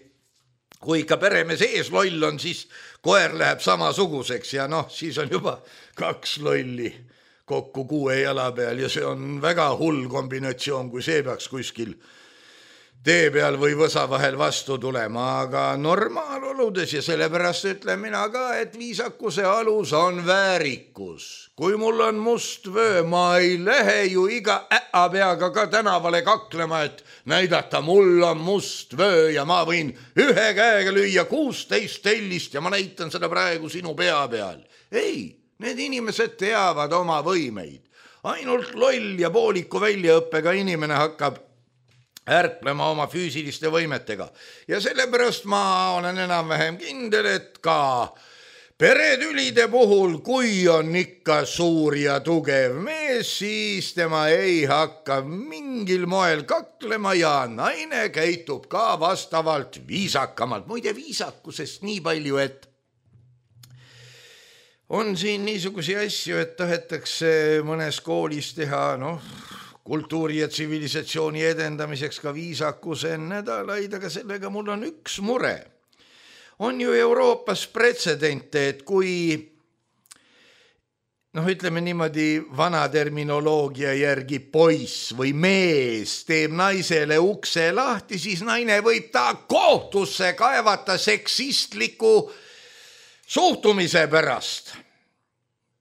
Kui ikka peremees ees loll on, siis koer läheb samasuguseks ja siis on juba 2 lolli kokku 6 jala peal ja see on väga hull kombinatsioon, kui see peaks kuskil tee peal või võsa vahel vastu tulema, aga normaaloludes ja sellepärast ütlen mina ka, et viisakuse alus on väärikus. Kui mul on must vöö, ma ei lähe ju iga peaga ka tänavale kaklema, et näidata, mul on must vöö ja ma võin ühe käega lüüa 16 tellist ja ma näitan seda praegu sinu pea peal. Ei, need inimesed teavad oma võimeid. Ainult loll ja pooliku väljaõppega inimene hakkab ärplema oma füüsiliste võimetega. Ja sellepärast ma olen enam-vähem kindel, et ka peretülide puhul, kui on ikka suur ja tugev mees, siis tema ei hakka mingil moel kaklema ja naine käitub ka vastavalt viisakamalt. Muide viisakusest nii palju, et on siin niisugusi asju, et tahetakse mõnes koolis teha, kultuuri ja tsivilisatsiooni edendamiseks ka viisakuse nädalaid, aga sellega mul on üks mure. On ju Euroopas pretsedente, et kui, ütleme niimoodi vana terminoloogia järgi poiss või mees teeb naisele ukse lahti, siis naine võib ta kohtusse kaevata seksistliku suhtumise pärast.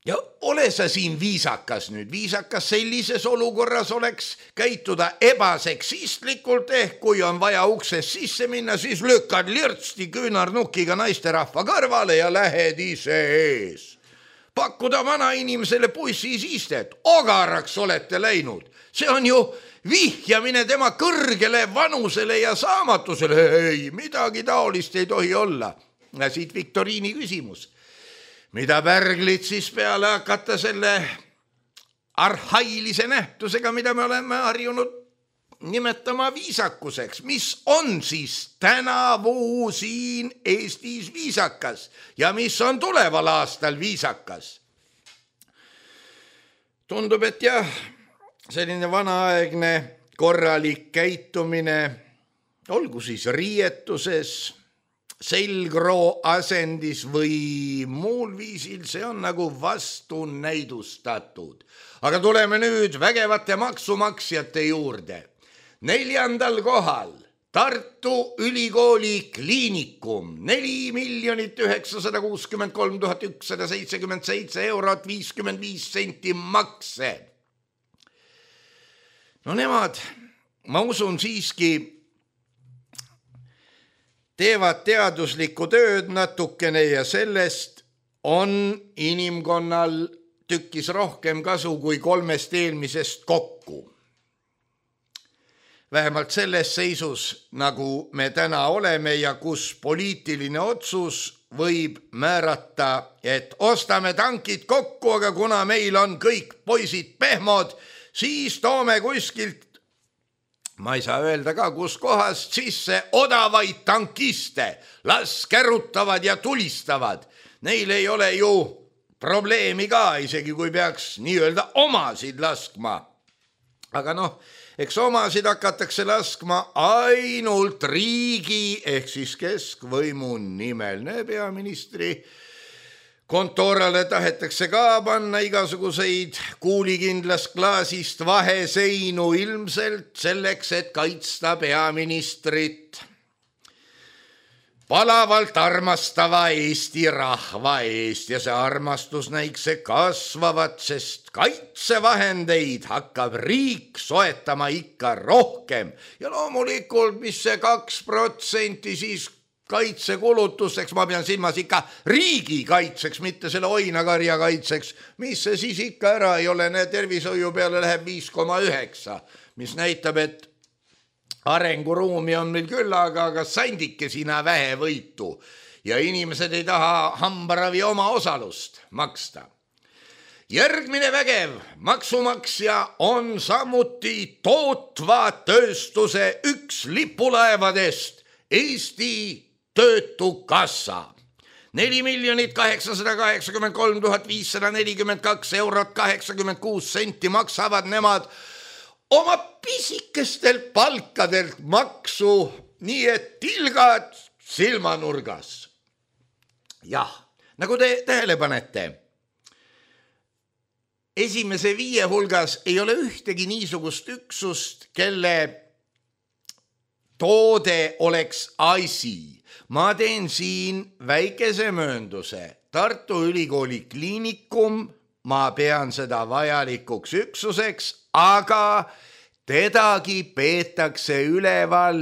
Ja ole sa siin viisakas nüüd. Viisakas sellises olukorras oleks käituda ebaseksistlikult kui on vaja ukses sisse minna, siis lükkad lirtsti küünarnukiga naisterahva kõrvale ja lähed ise ees. Pakkuda vana inimesele bussis istet, ogaraks olete läinud. See on ju vihjamine tema kõrgele vanusele ja saamatusele. Ei, midagi taolist ei tohi olla. Ja siit viktoriini küsimus. Mida pärglid siis peale hakata selle arhailise nähtusega, mida me oleme harjunud nimetama viisakuseks. Mis on siis tänavu siin Eestis viisakas ja mis on tuleval aastal viisakas? Tundub, et jah, selline vanaaegne korralik käitumine, olgu siis riietuses, selgroo asendis või muul viisil, see on nagu vastu näidustatud. Aga tuleme nüüd vägevate maksumaksjate juurde. 4. kohal Tartu Ülikooli kliinikum, 4 963 177 eurot 55 senti makse. Nemad, ma usun siiski, teevad teaduslikku tööd natukene ja sellest on inimkonnal tükkis rohkem kasu kui 3 eelmisest kokku. Vähemalt selles seisus, nagu me täna oleme ja kus poliitiline otsus võib määrata, et ostame tankid kokku, aga kuna meil on kõik poisid pehmod, siis toome kuskilt, ma ei saa öelda ka, kus kohast sisse odavaid tankiste, las kärutavad ja tulistavad. Neil ei ole ju probleemi ka, isegi kui peaks nii-öelda omasid laskma. Aga eks omasid hakatakse laskma ainult riigi ehk siis keskvõimu nimel. Peaministri kontorale tahetakse ka panna igasuguseid kuulikindlast klaasist vaheseinu ilmselt selleks, et kaitsta peaministrit palavalt armastava Eesti rahva eest ja see armastus näikse kasvavat, sest kaitsevahendeid hakkab riik soetama ikka rohkem ja loomulikult, mis see 2% siis kaitsekulutusteks, ma pean silmas ikka riigi kaitseks, mitte selle oinakarja kaitseks, mis see siis ikka ära ei ole, tervishoiu peale läheb 5,9, mis näitab, et arenguruumi on meil küll, aga sandike sina vähe võitu ja inimesed ei taha hambaravi oma osalust maksta. Järgmine vägev maksumaksja on samuti tootva tööstuse üks lipulaevadest Eesti Töötukassa. 4 883 542 eurot 86 senti maksavad nemad oma pisikestel palkadelt maksu, nii et tilgad silmanurgas. Jah, nagu te tähele panete, esimese 5 hulgas ei ole ühtegi niisugust üksust, kelle toode oleks asi. Ma teen siin väikese möönduse. Tartu Ülikooli kliinikum, ma pean seda vajalikuks üksuseks, aga tedagi peetakse üleval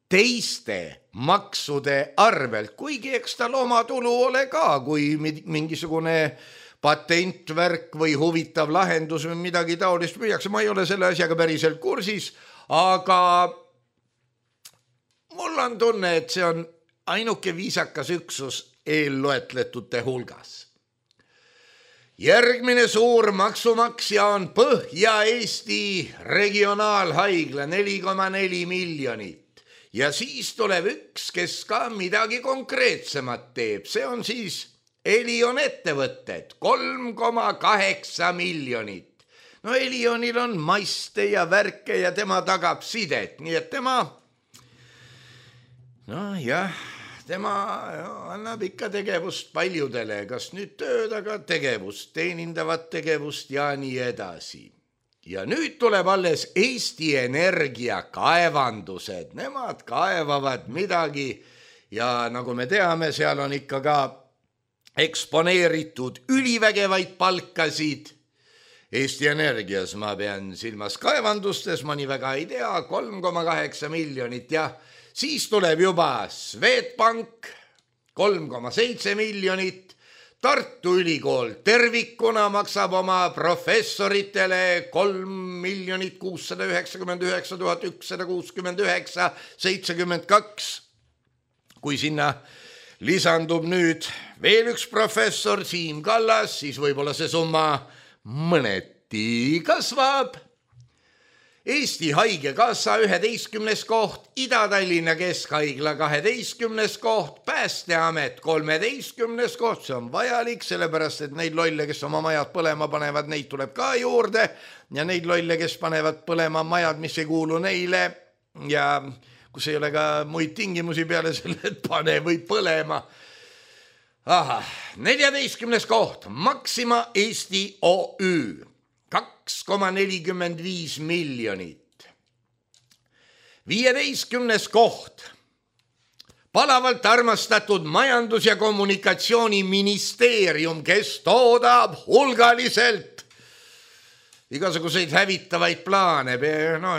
teiste maksude arvelt, kuigi eks tal oma tulu ole ka, kui mingisugune patentvärk või huvitav lahendus või midagi taolist müüakse. Ma ei ole selle asjaga päriselt kursis, aga mul on tunne, et see on ainuke viisakas üksus eelloetletute hulgas. Järgmine suur maksumaksja on Põhja-Eesti regionaalhaigla 4,4 miljonit. Ja siis tuleb üks, kes ka midagi konkreetsemat teeb. See on siis Elion ettevõtted, 3,8 miljonit. No Elionil on maiste ja värke ja tema tagab sidet, nii et tema annab ikka tegevust paljudele, kas nüüd tööd, aga tegevust, teenindavat tegevust ja nii edasi. Ja nüüd tuleb alles Eesti Energia kaevandused, nemad kaevavad midagi ja nagu me teame, seal on ikka ka eksponeeritud ülivägevaid palkasid. Eesti Energias ma pean silmas kaevandustes, ma nii väga ei tea, 3,8 miljonit ja siis tuleb juba Swedbank 3,7 miljonit. Tartu Ülikool tervikuna maksab oma professoritele 3 699 169 72. Kui sinna lisandub nüüd veel üks professor, Siim Kallas, siis võib-olla see summa mõneti kasvab. Eesti Haigekassa 11. koht, Ida-Tallinna Keskhaigla 12. koht, Päästeamet 13. koht, see on vajalik, sellepärast et neid lolle, kes oma majad põlema panevad, neid tuleb ka juurde ja neid lolle, kes panevad põlema majad, mis ei kuulu neile ja kus ei ole ka muid tingimusi peale selle, et pane või põlema. 14. koht, Maxima Eesti OÜ. 2,45 miljonit. 15. koht. Palavalt armastatud Majandus- ja Kommunikatsiooniministeerium, kes toodab hulgaliselt igasuguseid hävitavaid plaane,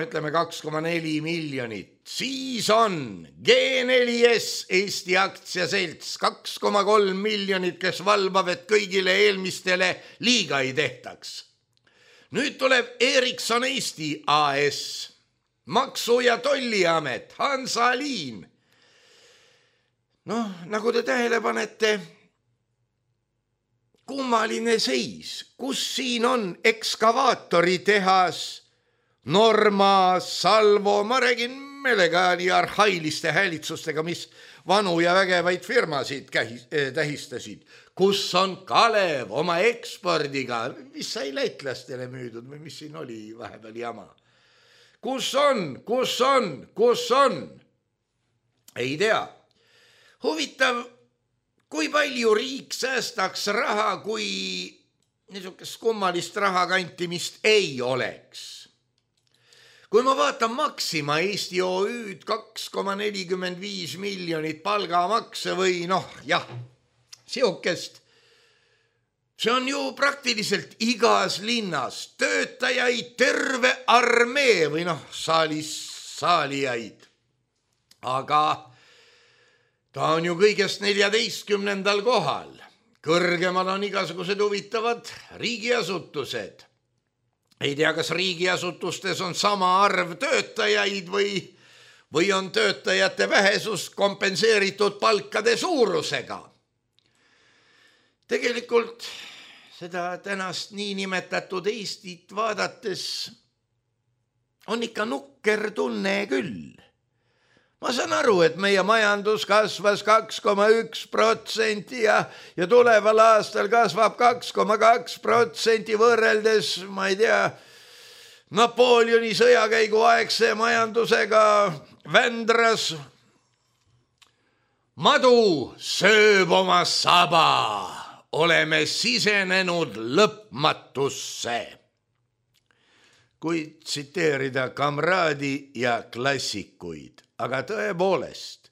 ütleme 2,4 miljonit. Siis on G4S Eesti aktsiaselts 2,3 miljonit, kes valvab, et kõigile eelmistele liiga ei tehtaks. Nüüd tuleb Ericsson Eesti AS, Maksu- ja Tolliamet, Hansaliin. Nagu te tähele panete, kummaline seis, kus siin on ekskavaatoritehas, Norma, Salvo, ma räägin meelega nii arhailiste häälitsustega, mis vanu ja vägevaid firmasid tähistasid. Kus on Kalev oma ekspordiga, mis sai lätlastele müüdud või mis siin oli vahepeal jama. Kus on? Ei tea. Huvitav, kui palju riik säästaks raha, kui niisugust kummalist rahakantimist ei oleks. Kui ma vaatan Maxima Eesti OÜ-d 2,45 miljonit palgamakse või siukest. See on ju praktiliselt igas linnas töötajaid terve armee või saalijaid. Aga ta on ju kõigest 14. kohal. Kõrgemal on igasugused huvitavad riigiasutused. Ei tea, kas riigiasutustes on sama arv töötajaid või on töötajate vähesus kompenseeritud palkade suurusega. Tegelikult seda tänast niinimetatud Eestit vaadates on ikka nukker tunne küll. Ma saan aru, et meie majandus kasvas 2,1% ja tuleval aastal kasvab 2,2% võrreldes, ma ei tea, Napoleoni sõjakäigu aegse majandusega Vändras. Madu sööb oma saba. Oleme sisenenud lõpmatusse. Kui tsiteerida kamraadi ja klassikuid, aga tõepoolest,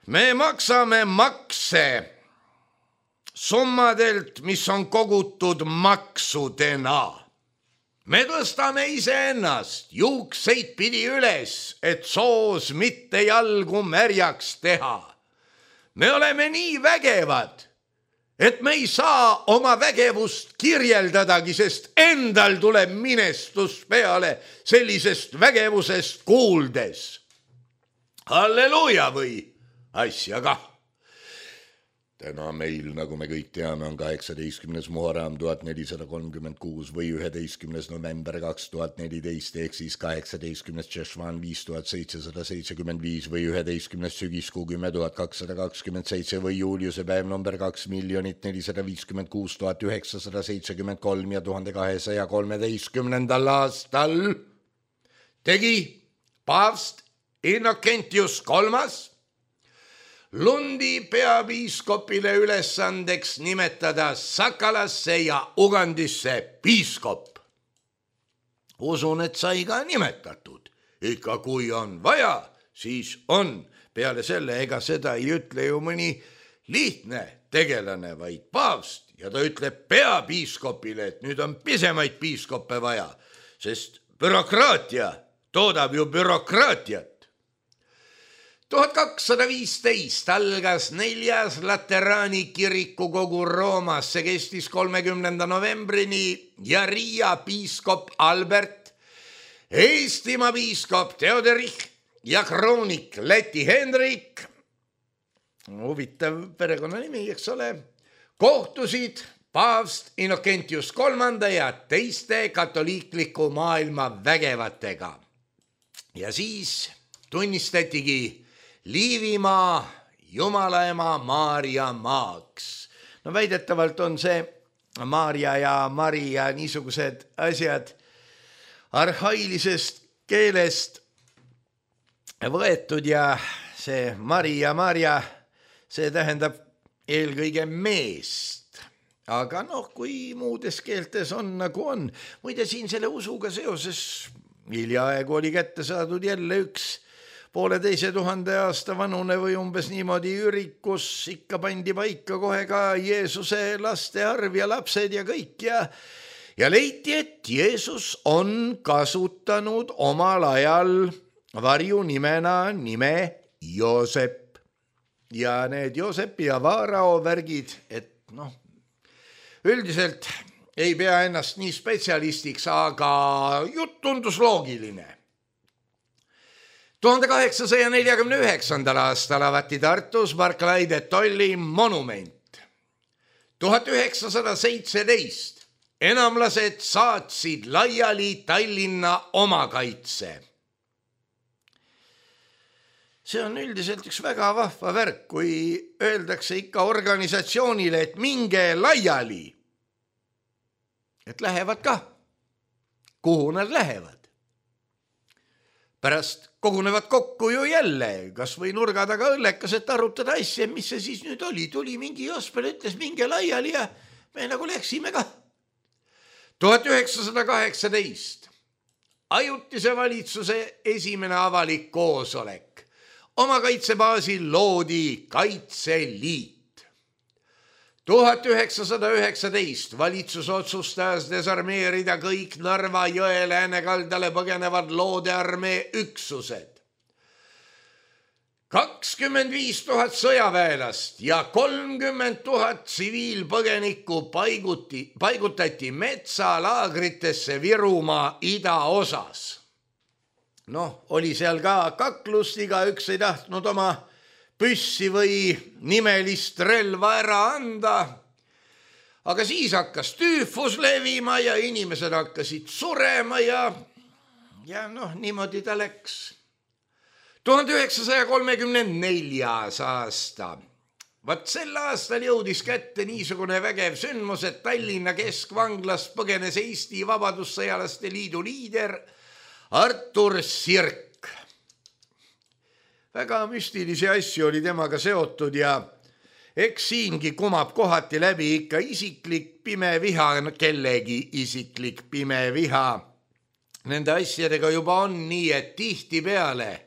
me maksame makse summadelt, mis on kogutud maksudena. Me tõstame iseennast juukseid pidi üles, et soos mitte jalgu märjaks teha. Me oleme nii vägevad, et me ei saa oma vägevust kirjeldadagi, sest endal tuleb minestus peale sellisest vägevusest kuuldes. Halleluuja või asja kah. Täna meil, nagu me kõik teame, on 18. Muharram 1436 või 11. november 2014 ehk siis 18. Tšešvan 5775 või 11. sügiskuu 10227 või juuliuse päev number 2 456 973 ja 1213. aastal tegi paavst Innocentius III Lundi peapiiskopile ülesandeks nimetada Sakalasse ja Ugandisse piiskop. Usun, et sai ka nimetatud. Ikka kui on vaja, siis on. Peale selle, ega seda ei ütle ju mõni lihtne tegelane, vaid paavst. Ja ta ütleb peapiiskopile, et nüüd on pisemaid piiskoppe vaja, sest bürokraatia toodab ju bürokraatiat. 1215 algas 4. Lateraani kirikukogu Roomas, see kestis 30. novembrini ja Riia piiskop Albert, Eestimaa piiskop Theoderich ja kroonik Läti Hendrik, huvitav perekonnanimi, eks ole, kohtusid paavst Innocentius III ja teiste katoliikliku maailma vägevatega. Ja siis tunnistatigi Liivimaa Jumalaema Maarja maaks. No väidetavalt on see Maarja ja Maria niisugused asjad arhailisest keelest võetud ja see Maria, see tähendab eelkõige meest. Aga kui muudes keeltes on nagu on. Muide siin selle usuga seoses hiljaaegu oli kätte saadud jälle üks 1500 aasta vanune või umbes niimoodi ürikus, ikka pandi paika kohe ka Jeesuse laste arv ja lapsed ja kõik ja leiti, et Jeesus on kasutanud omal ajal varjunimena nime Joosep. Ja need Joosepi ja Vaarao värgid, et üldiselt ei pea ennast nii spetsialistiks, aga jutt tundus loogiline. 1849. aastal avati Tartus Barclay de Tolly monument. 1917 enamlased saatsid laiali Tallinna omakaitse. See on üldiselt üks väga vahva värk, kui öeldakse ikka organisatsioonile, et minge laiali. Et lähevad ka. Kuhu nad lähevad? Pärast kogunevad kokku ju jälle, kas või nurga taga õllekas, et arutada asja, mis see siis nüüd oli. Tuli mingi Jospel, ütles minge laiali ja me nagu läksime ka. 1918 ajutise valitsuse esimene avalik koosolek. Omakaitsebaasil loodi Kaitseliit. 1919 valitsus otsustas desarmeerida kõik Narva jõe läänekaldale põgenevad loodearmee üksused. 25 000 sõjaväelast ja 30 000 tsiviilpõgenikku paigutati metsalaagritesse Virumaa idaosas. Oli seal ka kaklust, igaüks ei tahtnud oma püssi või nimelist relva ära anda. Aga siis hakkas tüüfus levima ja inimesed hakkasid surema ja niimoodi ta läks. 1934. aasta. Vaat sel aastal jõudis kätte niisugune vägev sündmus, et Tallinna keskvanglast põgenes Eesti Vabadussõjalaste Liidu liider Artur Sirk. Väga müstilisi asju oli temaga seotud ja eks siingi kumab kohati läbi ikka isiklik pime viha, kellegi isiklik pime viha. Nende asjadega juba on nii, et tihtipeale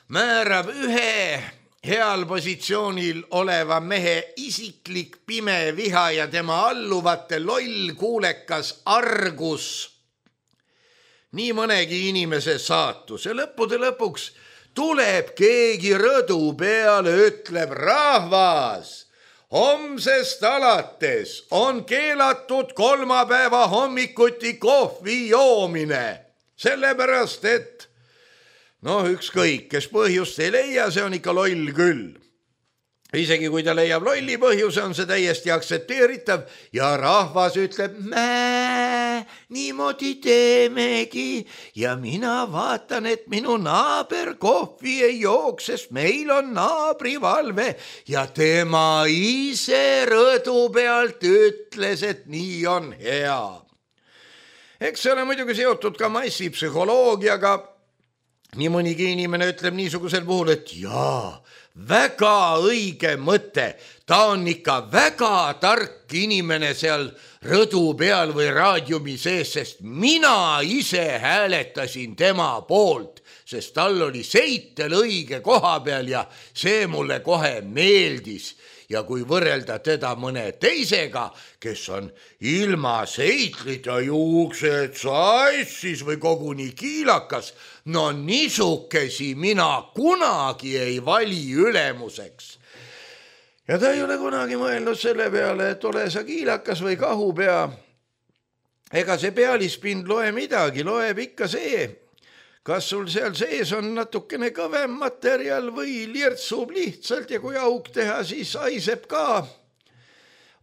määrab ühe heal positsioonil oleva mehe isiklik pime viha ja tema alluvate loll kuulekas argus nii mõnegi inimese saatus ja lõppude lõpuks tuleb keegi rõdu peale, ütleb rahvas. Homsest alates on keelatud kolmapäeva hommikuti kohvi joomine, sellepärast et ükskõik, kes põhjust ei leia, see on ikka loll küll. Isegi kui ta leiab lolli põhjuse, on see täiesti aktsepteeritav ja rahvas ütleb, niimoodi teemegi ja mina vaatan, et minu naaber kohvi ei jooks, sest meil on naabrivalve ja tema ise rõdu pealt ütles, et nii on hea. Eks see ole muidugi seotud ka massipsühholoogiaga. Nii mõnigi inimene ütleb niisugusel puhul, et jaa, väga õige mõte, ta on ikka väga tark inimene seal rõdu peal või raadiumi sees, sest mina ise hääletasin tema poolt, sest tal oli seitel õige koha peal ja see mulle kohe meeldis. Ja kui võrrelda teda mõne teisega, kes on ilma seitlita juuksed sassis või koguni kiilakas, niisukesi mina kunagi ei vali ülemuseks. Ja ta ei ole kunagi mõelnud selle peale, et ole sa kiilakas või kahupea. Ega see pealispind loe midagi, loeb ikka see, kas sul seal sees on natukene kõvem materjal või lirtsub lihtsalt ja kui auk teha, siis aiseb ka.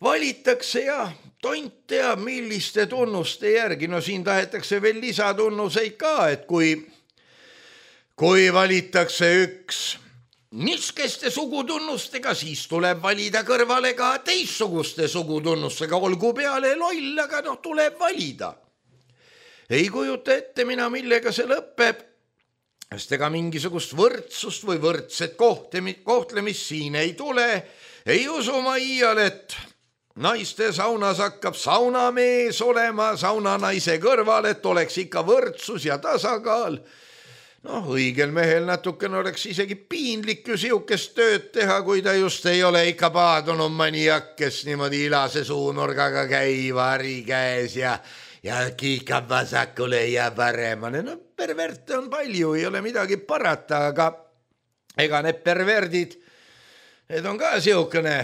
Valitakse ja tont teab, milliste tunnuste järgi. Siin tahetakse veel lisatunnuseid ka, et kui valitakse üks niskeste sugutunnustega, siis tuleb valida kõrvale ka teistsuguste sugutunnustega, olgu peale loll, aga tuleb valida. Ei kujuta ette mina, millega see lõpeb, sest ega mingisugust võrdsust või võrdset kohtlemist siin ei tule. Ei usu ma iial, et naiste saunas hakkab saunamees olema saunanaise kõrval, et oleks ikka võrdsus ja tasakaal. Õigel mehel natukene oleks isegi piinlik ju siukest tööd teha, kui ta just ei ole ikka paadunud maniak, kes niimoodi ilase suunurgaga käib hari käes ja kiikab vasakule ja paremale. Perverte on palju, ei ole midagi parata, aga ega need perverdid, need on ka siukene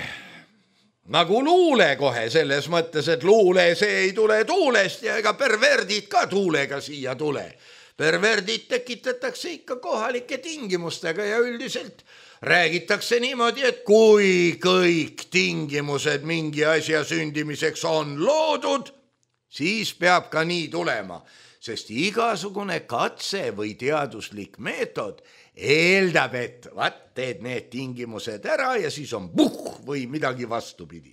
nagu luule kohe selles mõttes, et luule see ei tule tuulest ja ega perverdid ka tuulega siia tule. Perverdid tekitatakse ikka kohalike tingimustega ja üldiselt räägitakse niimoodi, et kui kõik tingimused mingi asja sündimiseks on loodud, siis peab ka nii tulema, sest igasugune katse või teaduslik meetod eeldab, et teed need tingimused ära ja siis on või midagi vastupidi.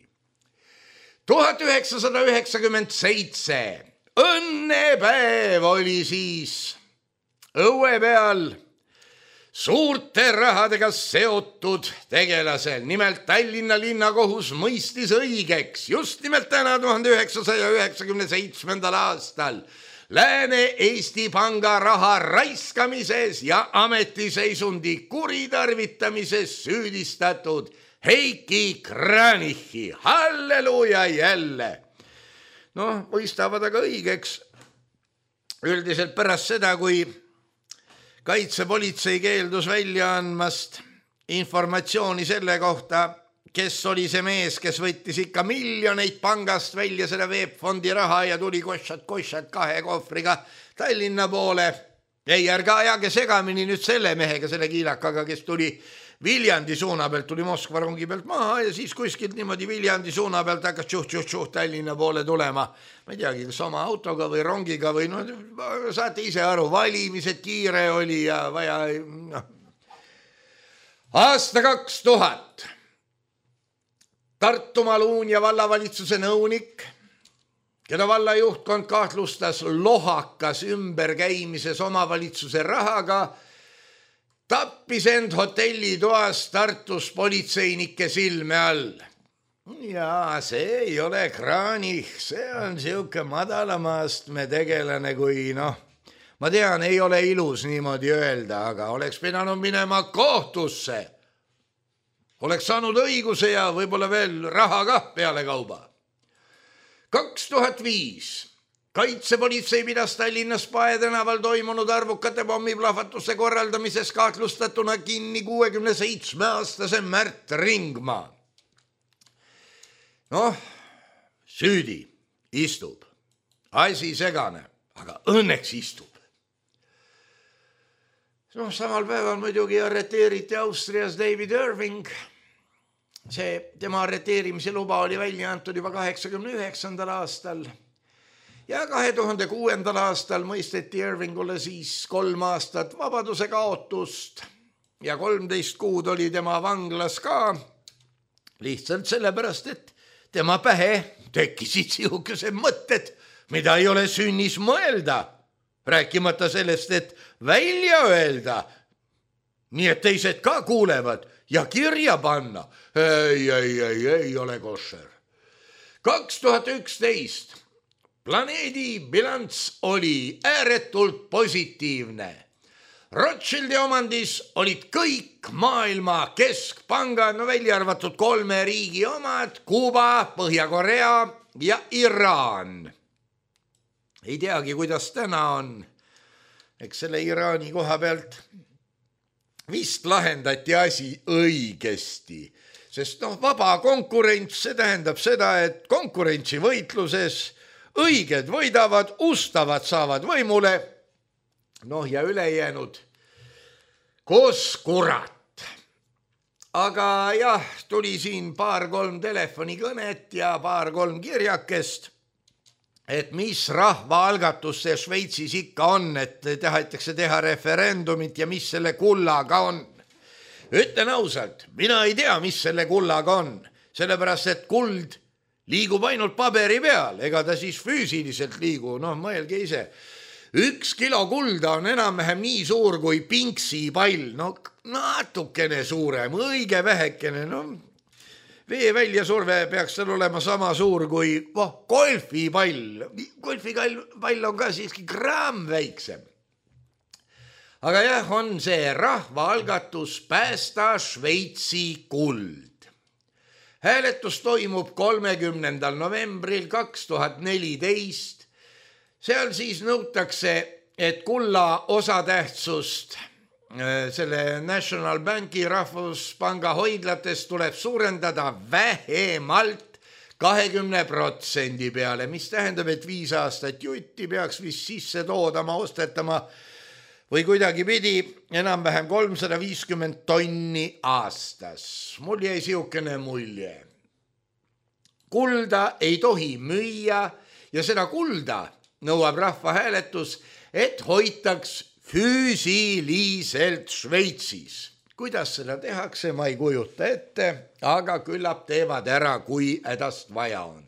1997 õnnepäev oli siis õue peal suurte rahadega seotud tegelasel. Nimelt Tallinna linnakohus mõistis õigeks just nimelt täna 1997. aastal Lääne-Eesti Panga raha raiskamises ja ametiseisundi kuritarvitamises süüdistatud Heiki Kranichi. Halleluja jälle! Mõistavad aga õigeks üldiselt pärast seda, kui kaitsepolitsei keeldus välja andmast informatsiooni selle kohta, kes oli see mees, kes võttis ikka miljoneid pangast välja seda veebfondi raha ja tuli koššat 2 kohvriga Tallinna poole. Ei, ärge ajage segamini nüüd selle mehega, selle kiilakaga, kes tuli Viljandi suuna pealt, tuli Moskva rongi pealt maha ja siis kuskilt niimoodi Viljandi suuna pealt hakkas tšuh Tallinna poole tulema. Ma ei teagi, kas oma autoga või rongiga või saate ise aru, valimised kiire oli ja vaja. Aasta 2000. Tartumaa Luunja vallavalitsuse nõunik, keda valla juhtkond kahtlustas lohakas ümberkäimises omavalitsuse rahaga, tappis end hotellitoas Tartus politseinike silme all. Jaa, see ei ole Kranich, see on siuke madalama astme tegelane kui Ma tean, ei ole ilus niimoodi öelda, aga oleks pidanud minema kohtusse. Oleks saanud õiguse ja võib-olla veel raha kah peale kauba. 2005 kaitsepolitsei pidas Tallinnas Pae tänaval toimunud arvukate pommiplahvatuste korraldamises kahtlustatuna kinni 67-aastase Märt Ringmaa. Süüdi istub. Asi segane, aga õnneks istub. Samal päeval muidugi arreteeriti Austrias David Irving. Tema arreteerimise luba oli välja antud juba 89. aastal ja 2006. aastal mõisteti Irvingule siis 3 aastat vabaduse kaotust ja 13 kuud oli tema vanglas ka lihtsalt sellepärast, et tema pähe tekkisid sihukesed mõtted, mida ei ole sünnis mõelda. Rääkimata sellest, et välja öelda, nii et teised ka kuulevad ja kirja panna. Ei ole košer. 2011 planeedi bilanss oli ääretult positiivne. Rothschildi omandis olid kõik maailma keskpangad, välja arvatud 3 riigi omad, Kuuba, Põhja-Korea ja Iraan. Ei teagi, kuidas täna on. Eks selle Iraani koha pealt vist lahendati asi õigesti, sest vaba konkurents, see tähendab seda, et konkurentsivõitluses õiged võidavad, ustavad saavad võimule, ja ülejäänud koos kurat. Aga jah, tuli siin 2-3 telefonikõnet ja 2-3 kirjakest, et mis rahvaalgatus see Šveitsis ikka on, et tahetakse teha referendumit ja mis selle kullaga on. Ütlen ausalt, mina ei tea, mis selle kullaga on, sellepärast et kuld liigub ainult paberi peal, ega ta siis füüsiliselt liigu, mõelge ise. 1 kilo kulda on enam-vähem nii suur kui pinksipall, natukene suurem, õige vähekene, vee väljasurve peaks seal olema sama suur kui golfipall. Golfipall on ka siiski gramm väiksem. Aga jah, on see rahvaalgatus Päästa Šveitsi kuld. Hääletus toimub 30. novembril 2014. Seal siis nõutakse, et kulla osatähtsust selle National Banki Rahvuspanga hoidlates tuleb suurendada vähemalt 20% peale, mis tähendab, et 5 aastat jutti peaks vist sisse toodama, ostetama või kuidagi pidi enam-vähem 350 tonni aastas. Mul jäi sihukene mulje. Kulda ei tohi müüa ja seda kulda nõuab rahvahääletus, et hoitaks füüsiliselt Šveitsis. Kuidas seda tehakse, ma ei kujuta ette, aga küllap teevad ära, kui hädast vaja on.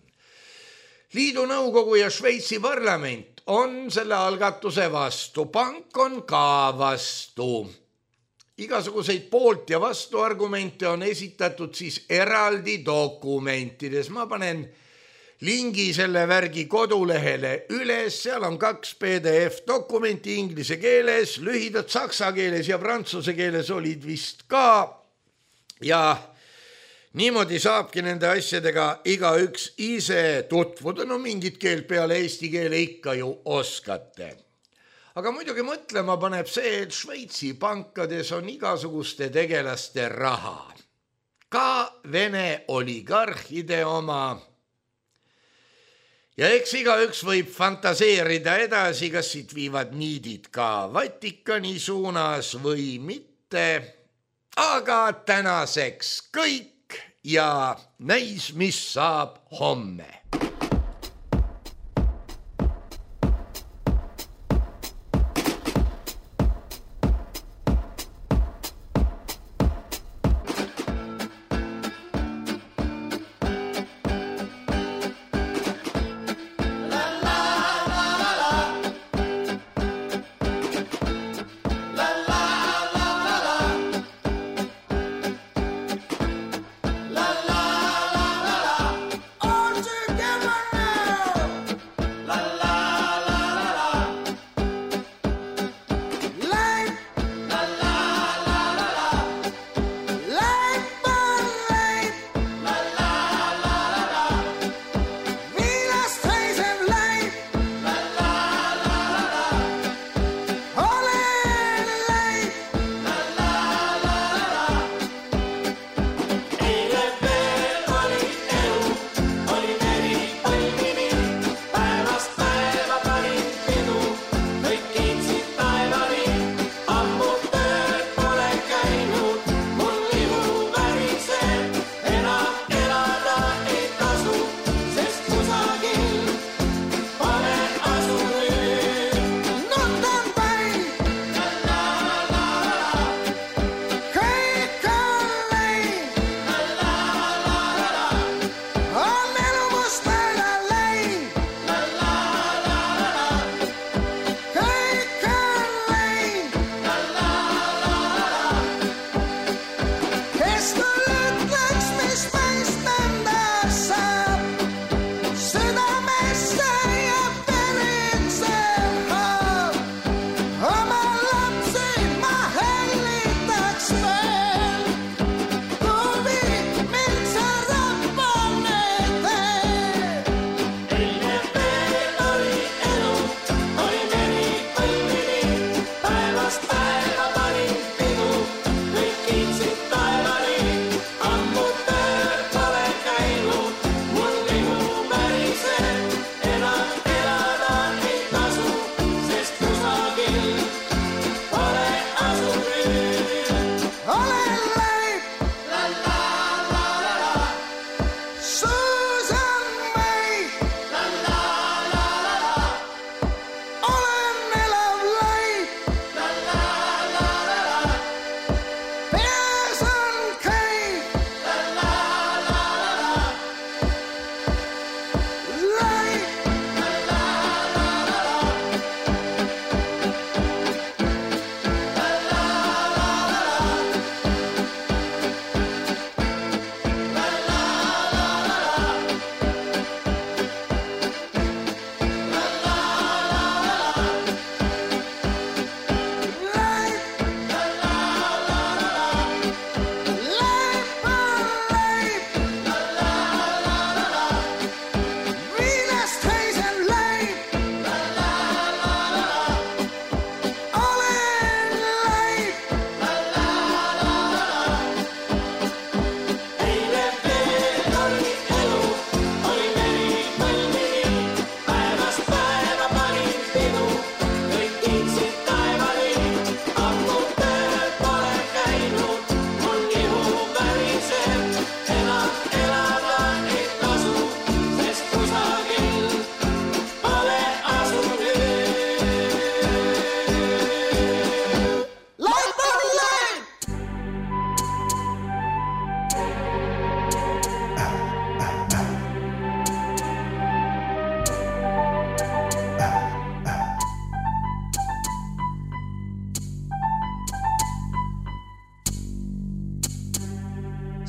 Liidu nõukogu ja Šveitsi parlament on selle algatuse vastu, pank on ka vastu. Igasuguseid poolt ja vastu argumente on esitatud siis eraldi dokumentides. Ma panen lingi selle värgi kodulehele üles, seal on 2 PDF dokumenti inglise keeles, lühidad saksa keeles ja prantsuse keeles olid vist ka. Ja niimoodi saabki nende asjadega igaüks ise tutvuda, mingit keelt peale eesti keele ikka ju oskate. Aga muidugi mõtlema paneb see, et Šveitsi pankades on igasuguste tegelaste raha. Ka Vene oligarhide oma. Ja eks igaüks võib fantaseerida edasi, kas siit viivad niidid ka Vatikani suunas või mitte. Aga tänaseks kõik ja näis, mis saab homme. Together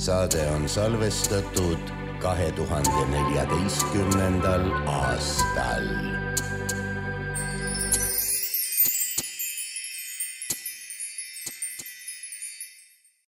Saade on salvestatud 2014. aastal.